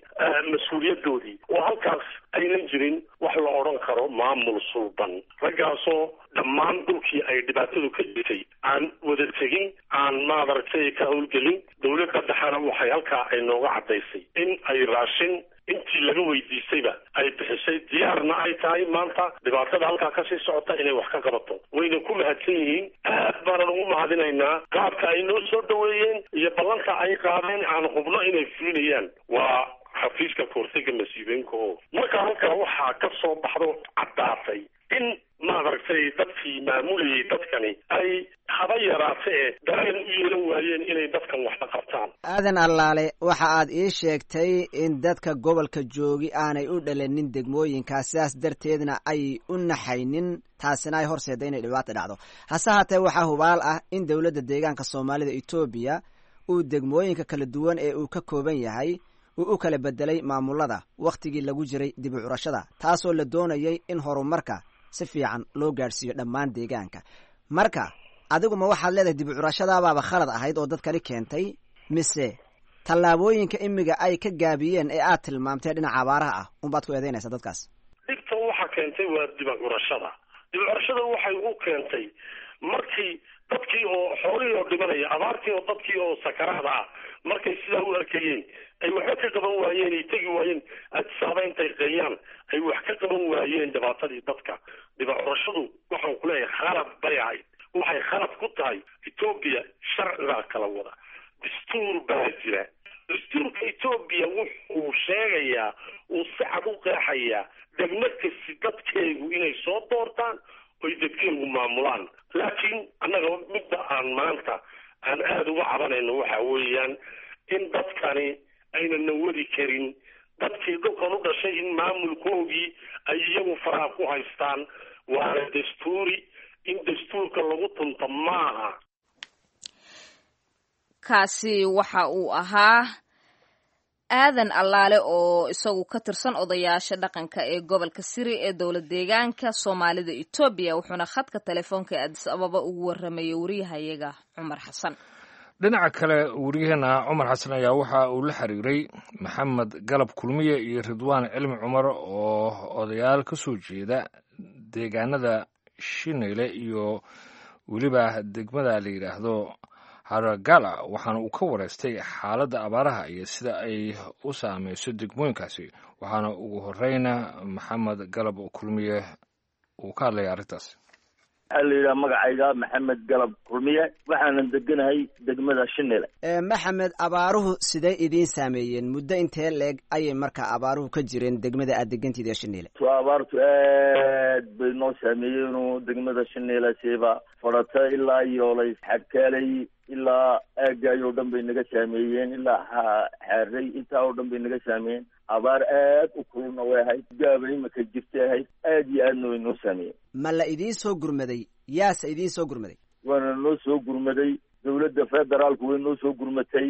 mas-uuliyadoodii oo halkaas aynan jirin wax la odhan karo maamul sulban. Raggaasoo dhammaan dhulkii ay dhibaatadu ka jirtay aan wada tegin, aan maadaragtay ka howlgelin. Dowladda dhexena waxay halkaa ay nooga caddaysay in ay raashin intii laga weydiistayba ay bixisay, diyaarna ay tahay maanta dhibaatada halkaa kasii socota inay wax ka qabato. Wayna ku mahadsan yihiin, aad baanan ugu mahadinaynaa qaabka ay noo soo dhaweeyeen iyo ballanta ay qaadeen aan hubno inay fulinayaan. Waa xafiiska kahortega masiibooyinka oo marka halkaa waxaa ka soo baxdo caddaatay in maadaragtay dadkii maamulayay dadkani ay haba yaraate ee dareen u yeelan waayeen inay dadkan waxla qabtaan. Aadan Allaale, waxa aad ii sheegtay in dadka gobolka joogi aanay u dhalanin degmooyinkaas, sidaas darteedna ay u naxaynin, taasina ay horseedda inay dhibaata dhacdo. Hase haatee waxaa hubaal ah in dowladda deegaanka Soomaalida Etoobiya uu degmooyinka kala duwan ee uu ka kooban yahay uu u kala bedelay maamulada wakhtigii lagu jiray dib u curashada, taasoo la doonayay in horumarka si fiican loo gaadhsiiyo dhammaan deegaanka. Marka adigu ma waxaad leedahay dib u curashadaabaaba khalad ahayd oo dadkani keentay, mise tallaabooyinka imiga ay ka gaabiyeen ee aad tilmaamtay dhinaca abaaraha ah unbaad ku eedeynaysaa dadkaas? Dhibta waxa keentay waa dib u curashada. Dib u curashada waxay u keentay markii dadkii oo xoolihii oo dhimanaya, abaartii oo dadkii oo sakaraada ah, markay sidaa u arkayeen ay waxba ka qaban waayeen, ay tegi waayeen Adisaaba intay qeeyaan ay wax ka qaban waayeen dhibaatadii dadka. Dhibacurashadu waxaan ku leeyahay khalad bay ahayd. Waxay khalad ku tahay, Etoobiya sharcigaa kala wada, dastuur baa jira. Dastuurka Etoobiya wuxuu sheegayaa, uu si cad u qeexayaa degmo kasti dadkeegu inay soo doortaan oy dadkeegu maamulaan. Laakiin annaga midda aan maanta aan aada uga cabanayno waxa weeyaan in dadkani aynana wadi karin, dadkii dhulkan u dhashay in maamulkoogii ay iyagu faraha ku haystaan. Waana dastuuri, in dastuurka lagu tunto maaha. Kaasi waxa uu ahaa Aadan Allaale oo isagu ka tirsan odayaasha dhaqanka ee gobolka Siri ee dowlad deegaanka Soomaalida Etoobiya, wuxuuna khadka telefoonka ee Addis Ababa ugu warramayay wariyahayaga Cumar Xasan. Dhinaca kale, wariyaheena Cumar Xasan ayaa waxa uu la xiriiray Maxamed Galab Kulmiye iyo Ridwaan Cilmi Cumar oo odayaal ka soo jeeda deegaanada Shineyle iyo weliba degmada la yidhaahdo Haragala, waxaana uu ka wareystay xaaladda abaaraha iyo sida ay u saameyso degmooyinkaasi. Waxaana ugu horeyna Maxamed Galab Kulmiye uu ka hadlaya arrintaas. Waxaa la yidhaha magacayga Maxamed Galab Kulmiye, waxaanan deganahay degmada Shinile. Maxamed, abaaruhu siday idiin saameeyeen? Muddo intee leeg ayay markaa abaaruhu ka jireen degmada aad degantiid ee Shinile? Abaartu aad bay noo saameeyeen degmada Shinile, siiba fadhata ilaa Yoolay, Xagkaalay, ilaa aagaay oo dhan bay naga saameeyeen, ilaa Xaaray, intaa oo dhan bay naga saameeyeen. Abaar aad u kululna way ahayd, gaaba imika jirtay ahayd, aad iyo aadna way noo saameeyeen. Ma la idiin soo gurmaday? Yaase idiin soo gurmaday? Waana noo soo gurmaday dowladda federaalku, way noo soo gurmatay.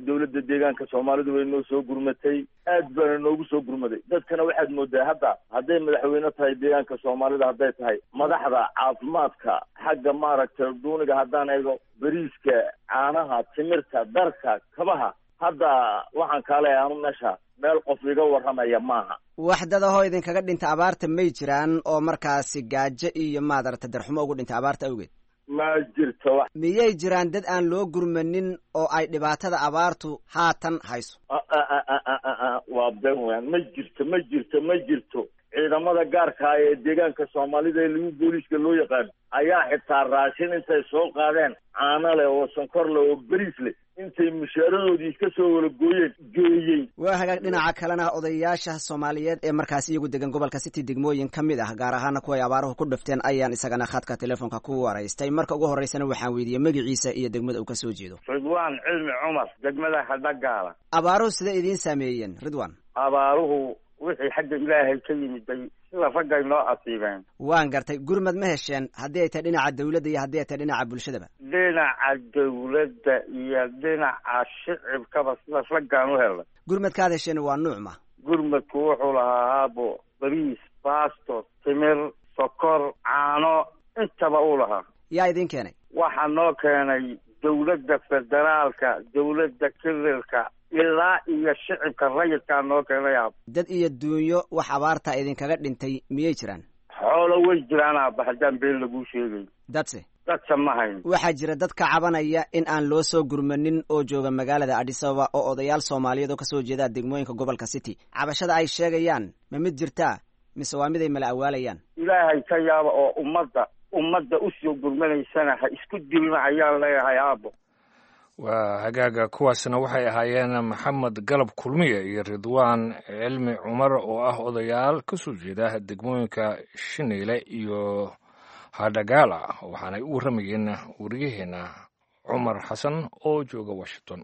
Dowladda deegaanka Soomaalidu way noo soo gurmatay, aad baana noogu soo gurmaday. Dadkana waxaad moodaa hadda hadday madaxweyne tahay deegaanka Soomaalida, hadday tahay madaxda caafimaadka, xagga maaragtay duuniga haddaan eego, beriiska, caanaha, timirta, darka, kabaha, hadda waxaan kaaleeyahay anu meesha meel qof iga warramaya maaha. Wax dadahoo idinkaga dhinta abaarta may jiraan oo markaasi gaajo iyo maadarata darxumo ugu dhinta abaarta awgeed? Ma jirto wax. Miyay jiraan dad aan loo gurmanin oo ay dhibaatada abaartu haatan hayso? Waa been weyaan, ma jirto, ma jirto, ma jirto. Ciidamada gaarka ah ee deegaanka Soomaalida ee lagu booliiska loo yaqaano ayaa xitaa raashin intay soo qaadeen, caano leh oo sonkor leh oo beriis leh, intay mushaaradoodii iska soo wala gooyeen geeyey. Waa hagaag. Dhinaca kalena, odayaasha Soomaaliyeed ee markaas iyagu degan gobolka City degmooyin ka mid ah, gaar ahaana kuwa ay abaaruhu ku dhifteen, ayaan isagana khadka telefoonka ku waraystay. Marka ugu horreysana waxaan weydiiyey magaciisa iyo degmada uu ka soo jeedo. Ridwaan Cilmi Cumar, degmada Hadhagaala. Abaaruhu siday idiin saameeyeen, Ridwan? Abaaruhu wixii xagga Ilaahay ka yimiday sida raggay noo asiibeen. Waan gartay. Gurmad ma hesheen, haddii ay tahay dhinaca dawladda iyo haddii ay tahay dhinaca bulshadaba? Dhinaca dawladda iyo dhinaca shicibkaba sida raggaan u helnay. Gurmadkaad hesheen waa nuuc ma? Gurmadku wuxuu lahaa haabo bariis, baasto, timir, sokor, caano, intaba uu lahaa. Yaa idin keenay? Waxaa noo keenay dawladda federaalka, dawladda kirilka, ilaa iyo shicibka rayidkaa noo keenay aab. Dad iyo duunyo wax abaarta idinkaga dhintay miyay jiraan? Xoolo way jiraan aaba, haddaan been laguu sheegay. Dadse? Dadse ma hayn. Waxaa jira dad ka cabanaya in aan loo soo gurmanin oo jooga magaalada Addis Ababa, oo odayaal Soomaaliyeed oo kasoo jeeda degmooyinka gobolka City. Cabashada ay sheegayaan ma mid jirtaa mise waa mid ay mala awaalayaan? Ilaahay ka yaaba oo ummadda ummadda usoo gurmanaysana ha isku dilma ayaan leeyahay aabo. Waa hagaaga. Kuwaasna waxay ahaayeen Maxamed Galab Kulmiye iyo Ridwaan Cilmi Cumar oo ah odayaal ka soo jeeda degmooyinka Shineyle iyo Hadhagaala, waxaanay u warramayeen wariyaheena Cumar Xasan oo jooga Washington.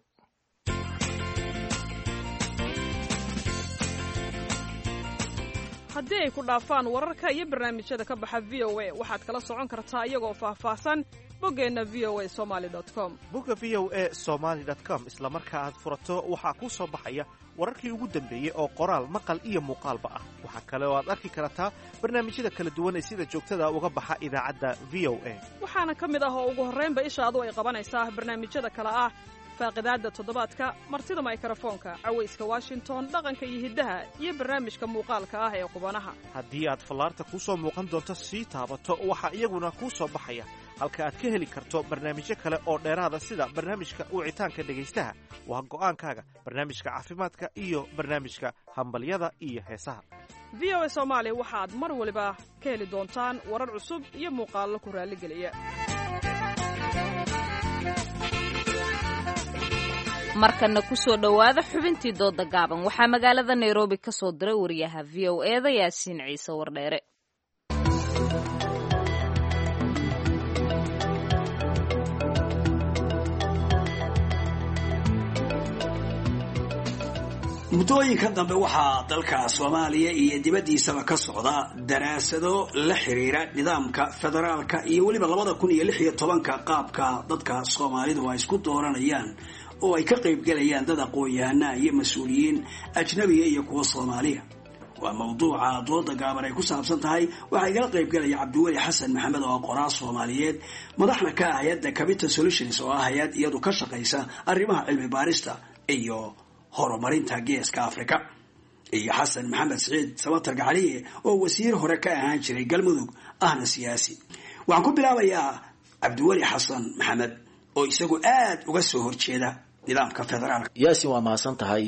Haddii ay ku dhaafaan wararka iyo barnaamijyada ka baxa V O A, waxaad kala socon kartaa iyagoo faahfaahsan boggeenna V O A Somaly com. Bogga V O A Somaly com isla marka aad furato waxaa kuu soo baxaya wararkii ugu dambeeyey oo qoraal, maqal iyo muuqaalba ah. Waxaa kale oo aad arki kartaa barnaamijyada kala duwan ee sida joogtada uga baxa idaacadda V O A. Waxaana ka mid ah oo ugu horraynba ishaadu ay qabanaysaa barnaamijyada kale ah faaqidaadda toddobaadka, martida maykarafoonka, cawayska Washington, dhaqanka iyo hiddaha, iyo barnaamijka muuqaalka ah ee qubanaha. Haddii aad fallaarta kuu soo muuqan doonto sii taabato, waxaa iyaguna kuu soo baxaya halka aad ka heli karto barnaamijyo kale oo dheeraada, sida barnaamijka wicitaanka dhegaystaha, waa go'aankaaga, barnaamijka caafimaadka iyo barnaamijka hambalyada iyo heesaha. V O A Soomaali waxaad mar waliba ka heli doontaan warar cusub iyo muuqaallo ku raalligeliya. Markana kusoo dhowaada xubintii dooda gaaban. Waxaa magaalada Nairobi ka soo diray wariyaha V O E da Yaasiin Ciise Wardheere. Muddooyinka dambe waxaa dalka Soomaaliya iyo dibaddiisaba ka socda daraasado la xiriira nidaamka federaalka iyo weliba labada kun iyo lix iyo tobanka qaabka dadka Soomaalidu ay isku dooranayaan, oo ay ka qaybgelayaan dad aqoon-yahanaa iyo mas-uuliyiin ajnabiga iyo kuwa Soomaaliya. Waa mawduuca dooda gaaban ay ku saabsan tahay. Waxaa igala qaybgelaya Cabdiweli Xasan Maxamed oo qoraa Soomaaliyeed, madaxna ka ah hay-adda Capital Solutions, oo ah hay-ad iyadu ka shaqaysa arrimaha cilmi baarista iyo horumarinta Geeska Afrika, iyo Xasan Maxamed Siciid Samatar Gacaliye oo wasiir hore ka ahaan jiray Galmudug, ahna siyaasi. Waxaan ku bilaabayaa Cabdiweli Xasan Maxamed oo isagu aada uga soo horjeeda nidaamka federaalka. Yaasin, waa mahadsan tahay.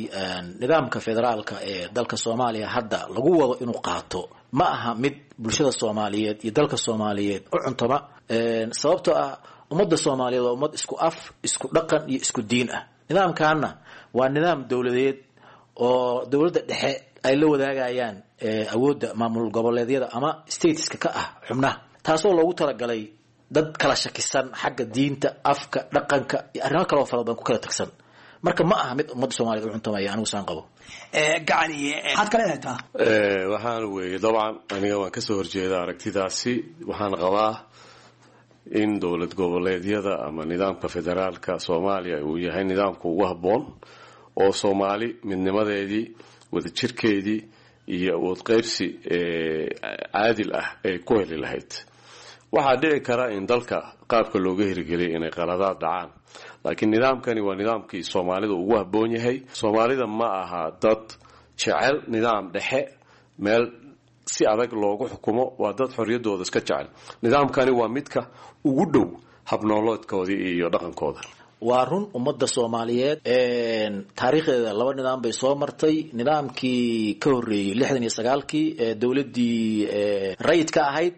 Nidaamka federaalka ee dalka Soomaaliya hadda lagu wado inuu qaato ma aha mid bulshada Soomaaliyeed iyo dalka Soomaaliyeed u cuntama, sababtoo ah ummadda Soomaaliyeed waa ummad isku af, isku dhaqan iyo isku diin ah. Nidaamkaana waa nidaam dowladeed oo dowladda dhexe ay la wadaagayaan awoodda maamul goboleedyada ama stateska ka ah xubnaha, taasoo loogu talagalay dad kala shakisan xagga diinta, afka, dhaqanka iyo arrimo kaloo fara badan ku kala tagsan. Marka ma aha mid ummadda Soomaliyeed u cuntamaya, anigu saan qabo. Gacaliye, maxaad ka leedahay taa? Waxaan weeye dabcan aniga waan kasoo horjeeda aragtidaasi. Waxaan qabaa in dowlad goboleedyada ama nidaamka federaalka Soomaaliya uu yahay nidaamka ugu habboon oo Soomaali midnimadeedii, wadajirkeedii iyo awood qaybsi caadil ah ay ku heli lahayd. Waxaa dhici kara in dalka qaabka looga hirgeliyay inay qaladaad dhacaan, laakiin nidaamkani waa nidaamkii Soomaalida ugu habboon yahay. Soomaalida ma aha dad jecel nidaam dhexe meel si adag loogu xukumo, waa dad xorriyaddooda iska jecel. Nidaamkani waa midka ugu dhow habnooloodkoodii iyo dhaqankooda. Waa run, ummadda Soomaaliyeed taariikhdeeda laba nidaam bay soo martay. Nidaamkii ka horreeyey lixdan iyo sagaalkii ee dowladdii rayidka ahayd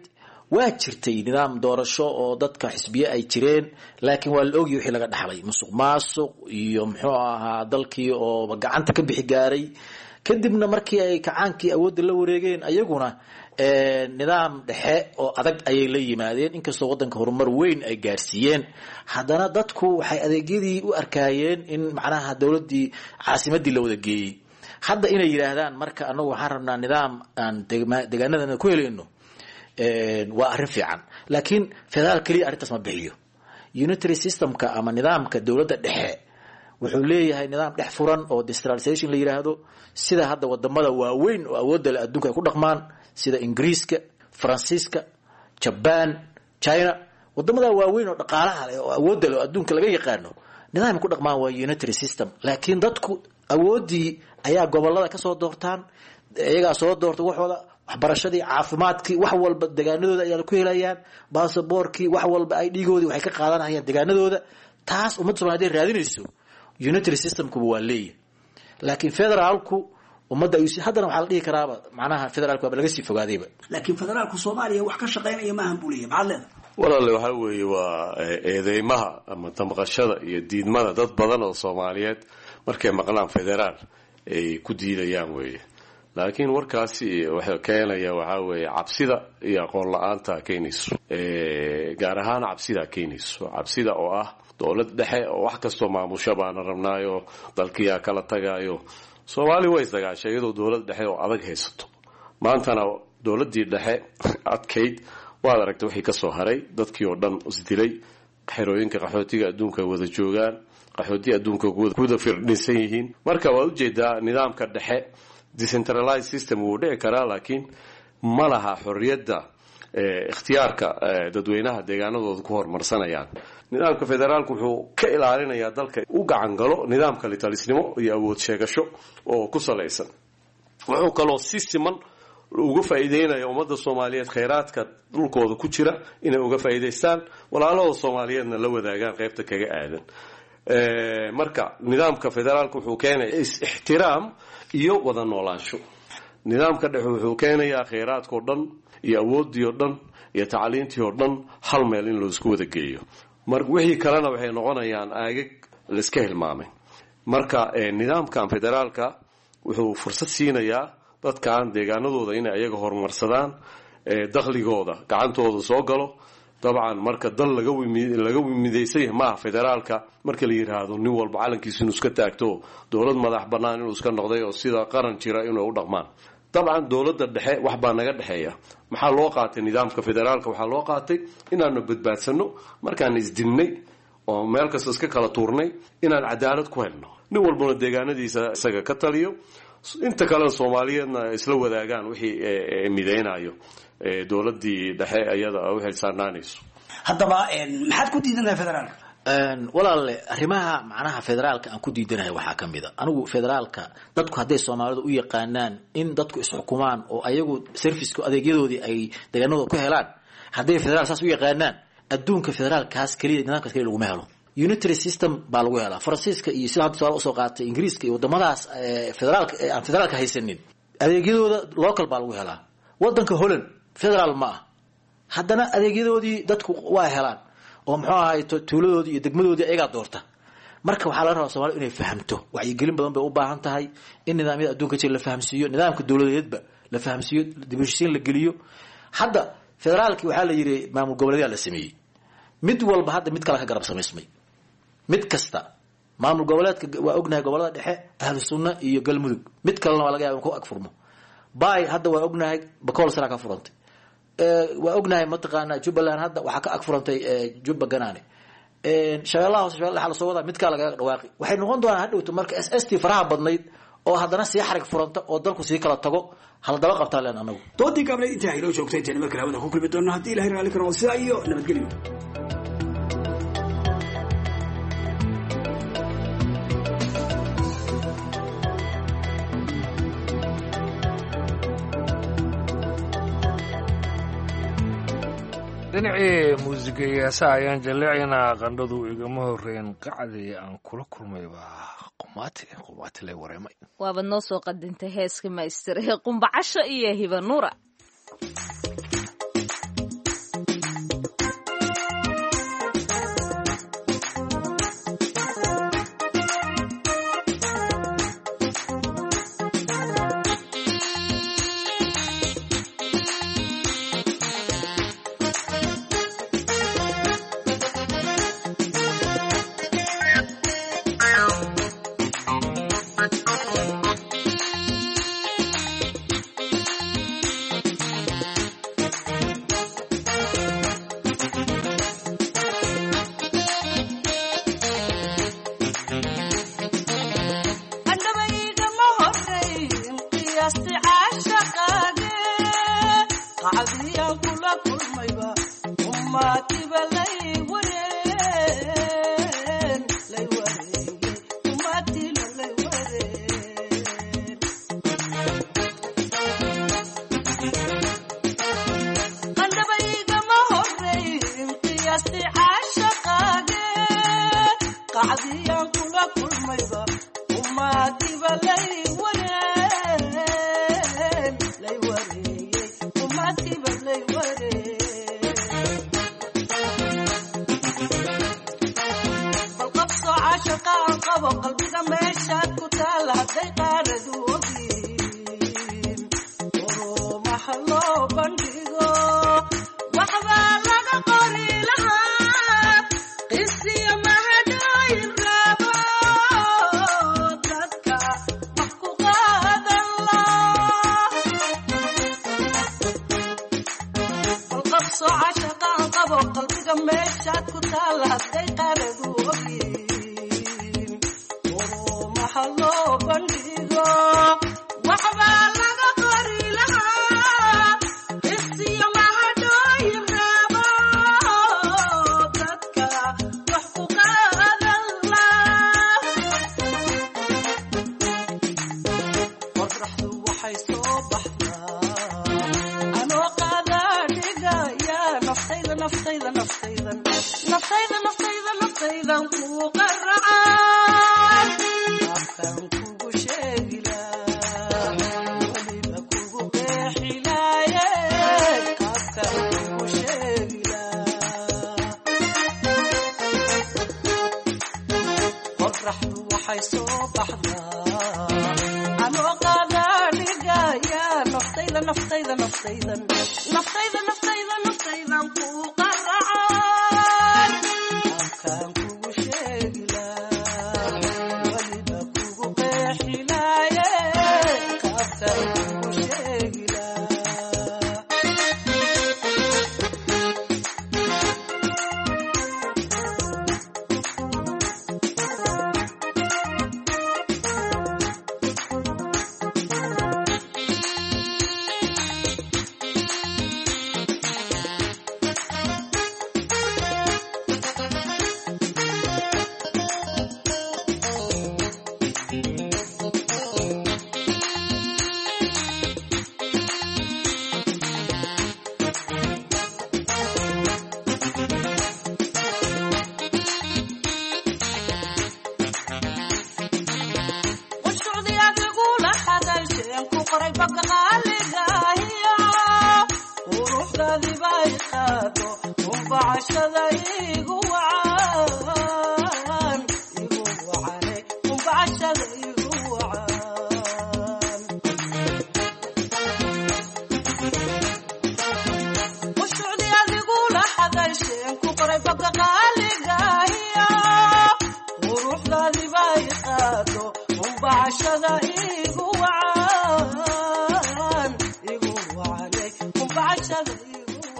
waa jirtay nidaam doorasho oo dadka xisbiye ay jireen, laakiin waa la ogyahay wixii laga dhaxlay, musuq maasuq iyo muxuu ahaa dalkii oo gacanta ka bixi gaaray. Kadibna markii ay kacaankii awoodda la wareegeen, ayaguna nidaam dhexe oo adag ayay la yimaadeen. Inkastoo waddanka horumar weyn ay gaarsiiyeen, haddana dadku waxay adeegyadii u arkaayeen in macnaha dowladdii caasimadii la wada geeyey. Hadda inay yidhaahdaan marka anagu waxaan rabnaa nidaam aan deegaanadana ku helayno waa arrin fiican, laakiin federaal keliya arrintaas ma bixiyo. Unitary systemka ama nidaamka dowladda dhexe wuxuu leeyahay nidaam dhex furan oo decentralization la yiraahdo, sida hadda wadamada waaweyn oo awoodda leh adduunka ay ku dhaqmaan, sida Ingiriiska, Faransiiska, Jaban, China. Wadamada waaweyn oo dhaqaalaha leh oo awoodda leh oo adduunka laga yaqaano nidaam ku dhaqmaan waa unitary system, laakiin dadku awooddii ayaa gobolada ka soo doortaan, iyagaa soo doorta waxooda, waxbarashadii, caafimaadkii, wax walba deegaanadooda ayaa ku helayaan, baasaboorkii, wax walba ay dhiigoodii waxay ka qaadanayaan deegaanadooda. Taas ummadda Soomaaliyeed raadinayso unitary systemkuba waa leeyahay, laakiin federaalku ummadda ayuu haddana waxaa la dhihi karaaba macnaha federaalku waaba laga sii fogaadayba. Laakiin federaalku Soomaaliya wax ka shaqaynaya maahan buu leeyahay, maxaad leedahay? Walaale, waxaa weeye waa eedeymaha ama damqashada iyo diidmada dad badan oo Soomaaliyeed markay maqlaan federaal ay ku diidayaan weeye. Laakiin warkaasi wuxuu keenaya waxaa weeye cabsida iyo aqoon la-aanta keenayso, gaar ahaan cabsida keenayso, cabsida oo ah dowlad dhexe oo wax kastoo maamusho baana rabnaayo, dalkiyaa kala tagaayo. Soomaali way isdagaashay iyadoo dowlad dhexe oo adag haysato. Maantana dowladdii dhexe adkayd waad aragtay wixii ka soo haray, dadkii oo dhan isdilay, xerooyinka qaxootiga adduunka wada joogaan, qaxooti adduunka kuwada firdhinsan yihiin. Marka waad ujeedaa nidaamka dhexe decentralized system wuu dhici karaa, laakiin ma laha xorriyadda ikhtiyaarka dadweynaha deegaanadooda ku horumarsanayaan. Nidaamka federaalku wuxuu ka ilaalinayaa dalka u gacan galo nidaamka litalisnimo iyo awood sheegasho oo ku salaysan. Wuxuu kaloo si siman uga faa'iideynaya ummadda Soomaaliyeed kheyraadka dhulkooda ku jira inay uga faa'iidaystaan, walaalahooda Soomaaliyeedna la wadaagaan qaybta kaga aadan. Marka nidaamka federaalku wuxuu keenaya is-ixtiraam iyo wada noolaansho. Nidaamka dhexe wuxuu keenayaa kheyraadkao dhan iyo awooddii oo dhan iyo tacliintii oo dhan hal meel in laisku wada geeyo. Mar wixii kalena waxay noqonayaan aagag laiska hilmaamay. Marka nidaamkan federaalka wuxuu fursad siinayaa dadkan deegaanadooda inay ayaga horumarsadaan, dakhligooda gacantooda soo galo. Dabcan marka dal laga laga midaysan yahay maaha federaalka marka la yidhaahdo nin walba calankiisa inuu iska taagto, dowlad madax bannaan inuu iska noqday oo sida qaran jira inuu u dhaqmaan. Dabcan dowladda dhexe wax baa naga dhexeeya. Maxaa loo qaatay nidaamka federaalka? Waxaa loo qaatay inaanu badbaadsanno markaan isdilnay oo meel kasta iska kala tuurnay, inaan cadaalad ku helno, nin walbana deegaanadiisa isaga ka taliyo, inta kalena Soomaaliyeedna isla wadaagaan wixii midaynayo dowladdii dhexe iyada u xilsaarnaanayso. Haddaba maxaad ku diidan tahay federaalka? Walaalle, arrimaha macnaha federaalka aan ku diidanahay waxaa ka mid a, anigu federaalka dadku hadday Soomaalidu u yaqaanaan in dadku isxukumaan oo ayagu serviceka adeegyadoodii ay deegaanadooda ku helaan, hadday federaal saas u yaqaanaan, adduunka federaalkaas keliya nidaamkaas keliya laguma helo. Unitary system baa lagu helaa. Faransiiska iyo sida hadda tusaale usoo qaatay Ingiriiska iyo wadamadaas federaalka aan federaalka haysanin, adeegyadooda local baa lagu helaa. Wadanka Holland federaal ma ah, haddana adeegyadoodii dadku waa helaan oo muxuu ahaay tuuladoodii iyo degmadoodii ayagaa doorta. Marka waxaa laga rabaa Soomaalida inay fahamto, wacyigelin badan bay u baahan tahay, in nidaamyada adduunka jira la fahamsiiyo, nidaamka dowladeedba la fahamsiiyo, dib u heshiisiin la geliyo. Hadda federaalkii waxaa la yidhi maamul goboleedyaa la sameeyey, mid walba hadda mid kale ka garab samaysmay. Mid kasta maamul goboleedka waa ognahay gobolada dhexe Ahlu Sunna iyo Galmudug, mid kalena waa laga yaaba in ku ag furmo. Bay hadda waa ognahay Bakool sara ka furantay, waa ognahay mataqaanaa Jubbaland hadda waxaa ka ag furantay Jubba Ganaane, Shabeellaha Hoose Shabeellaha lasoo wadaa mid kale lagaga dhawaaqi. Waxay noqon doonaan hadhowto marka S S T faraha badnayd oo haddana sii xarig furanta oo dalku sii kala tago, hala daba qabtaa leen anagu. Doodii gaableed intaa inoo joogtay, intayna markale hawada ku kulmi doonno haddii Ilahay raalli ka noqdo, sidaa iyo nabadgelyo. Dhinacii muusiga iyo heesaha ayaan jaleecaynaa. Qandhadu igama horeyn, qacdii aan kula kulmay baa qumaati qumaati lay wareemay. Waabad noo soo qadintay heeska maystir ee Qumbacasho iyo Hiba Nuura.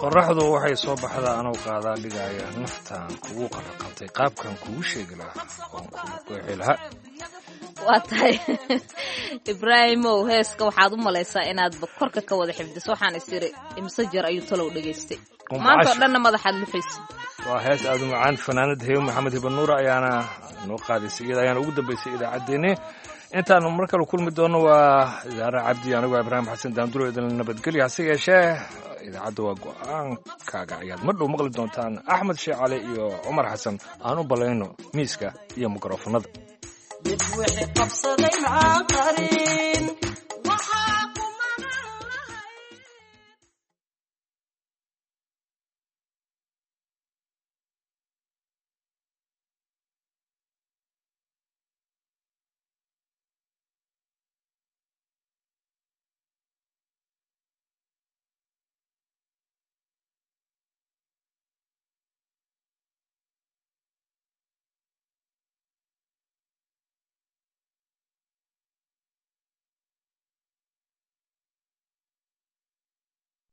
Qoraxdu waxay soo baxdaa anuu qaadaa dhigaya, naftaan kugu qaraqabtay qaabkan kugu sheegi lahaa oon kugu qeexi lahaa. Waa tahay Ibraahimow, heeska waxaad u malaysaa inaadba korka ka wada xifdiso. Waxaan is iri imse jeer ayuu talow dhegaystay maanta oo dhanna madaxaad luxaysa. Waa hees aada u macaan. Fanaanad Hebe Maxamed Hibanuura ayaana noo qaadaysay, iyada ayaana ugu dambaysay idaacaddeenni. Intaanu mar kale kulmi doono, waa Idaara Cabdi, anigoo Ibraahim Xasan Daanduro idin nabadgelya. Hase yeeshee idaacadda waa go-aankaaga ayaad mar dhow maqli doontaan. Axmed Sheekh Cali iyo Cumar Xasan aan u ballayno miiska iyo mikrofonada. Mid wixii qabsaday maxaa qarin.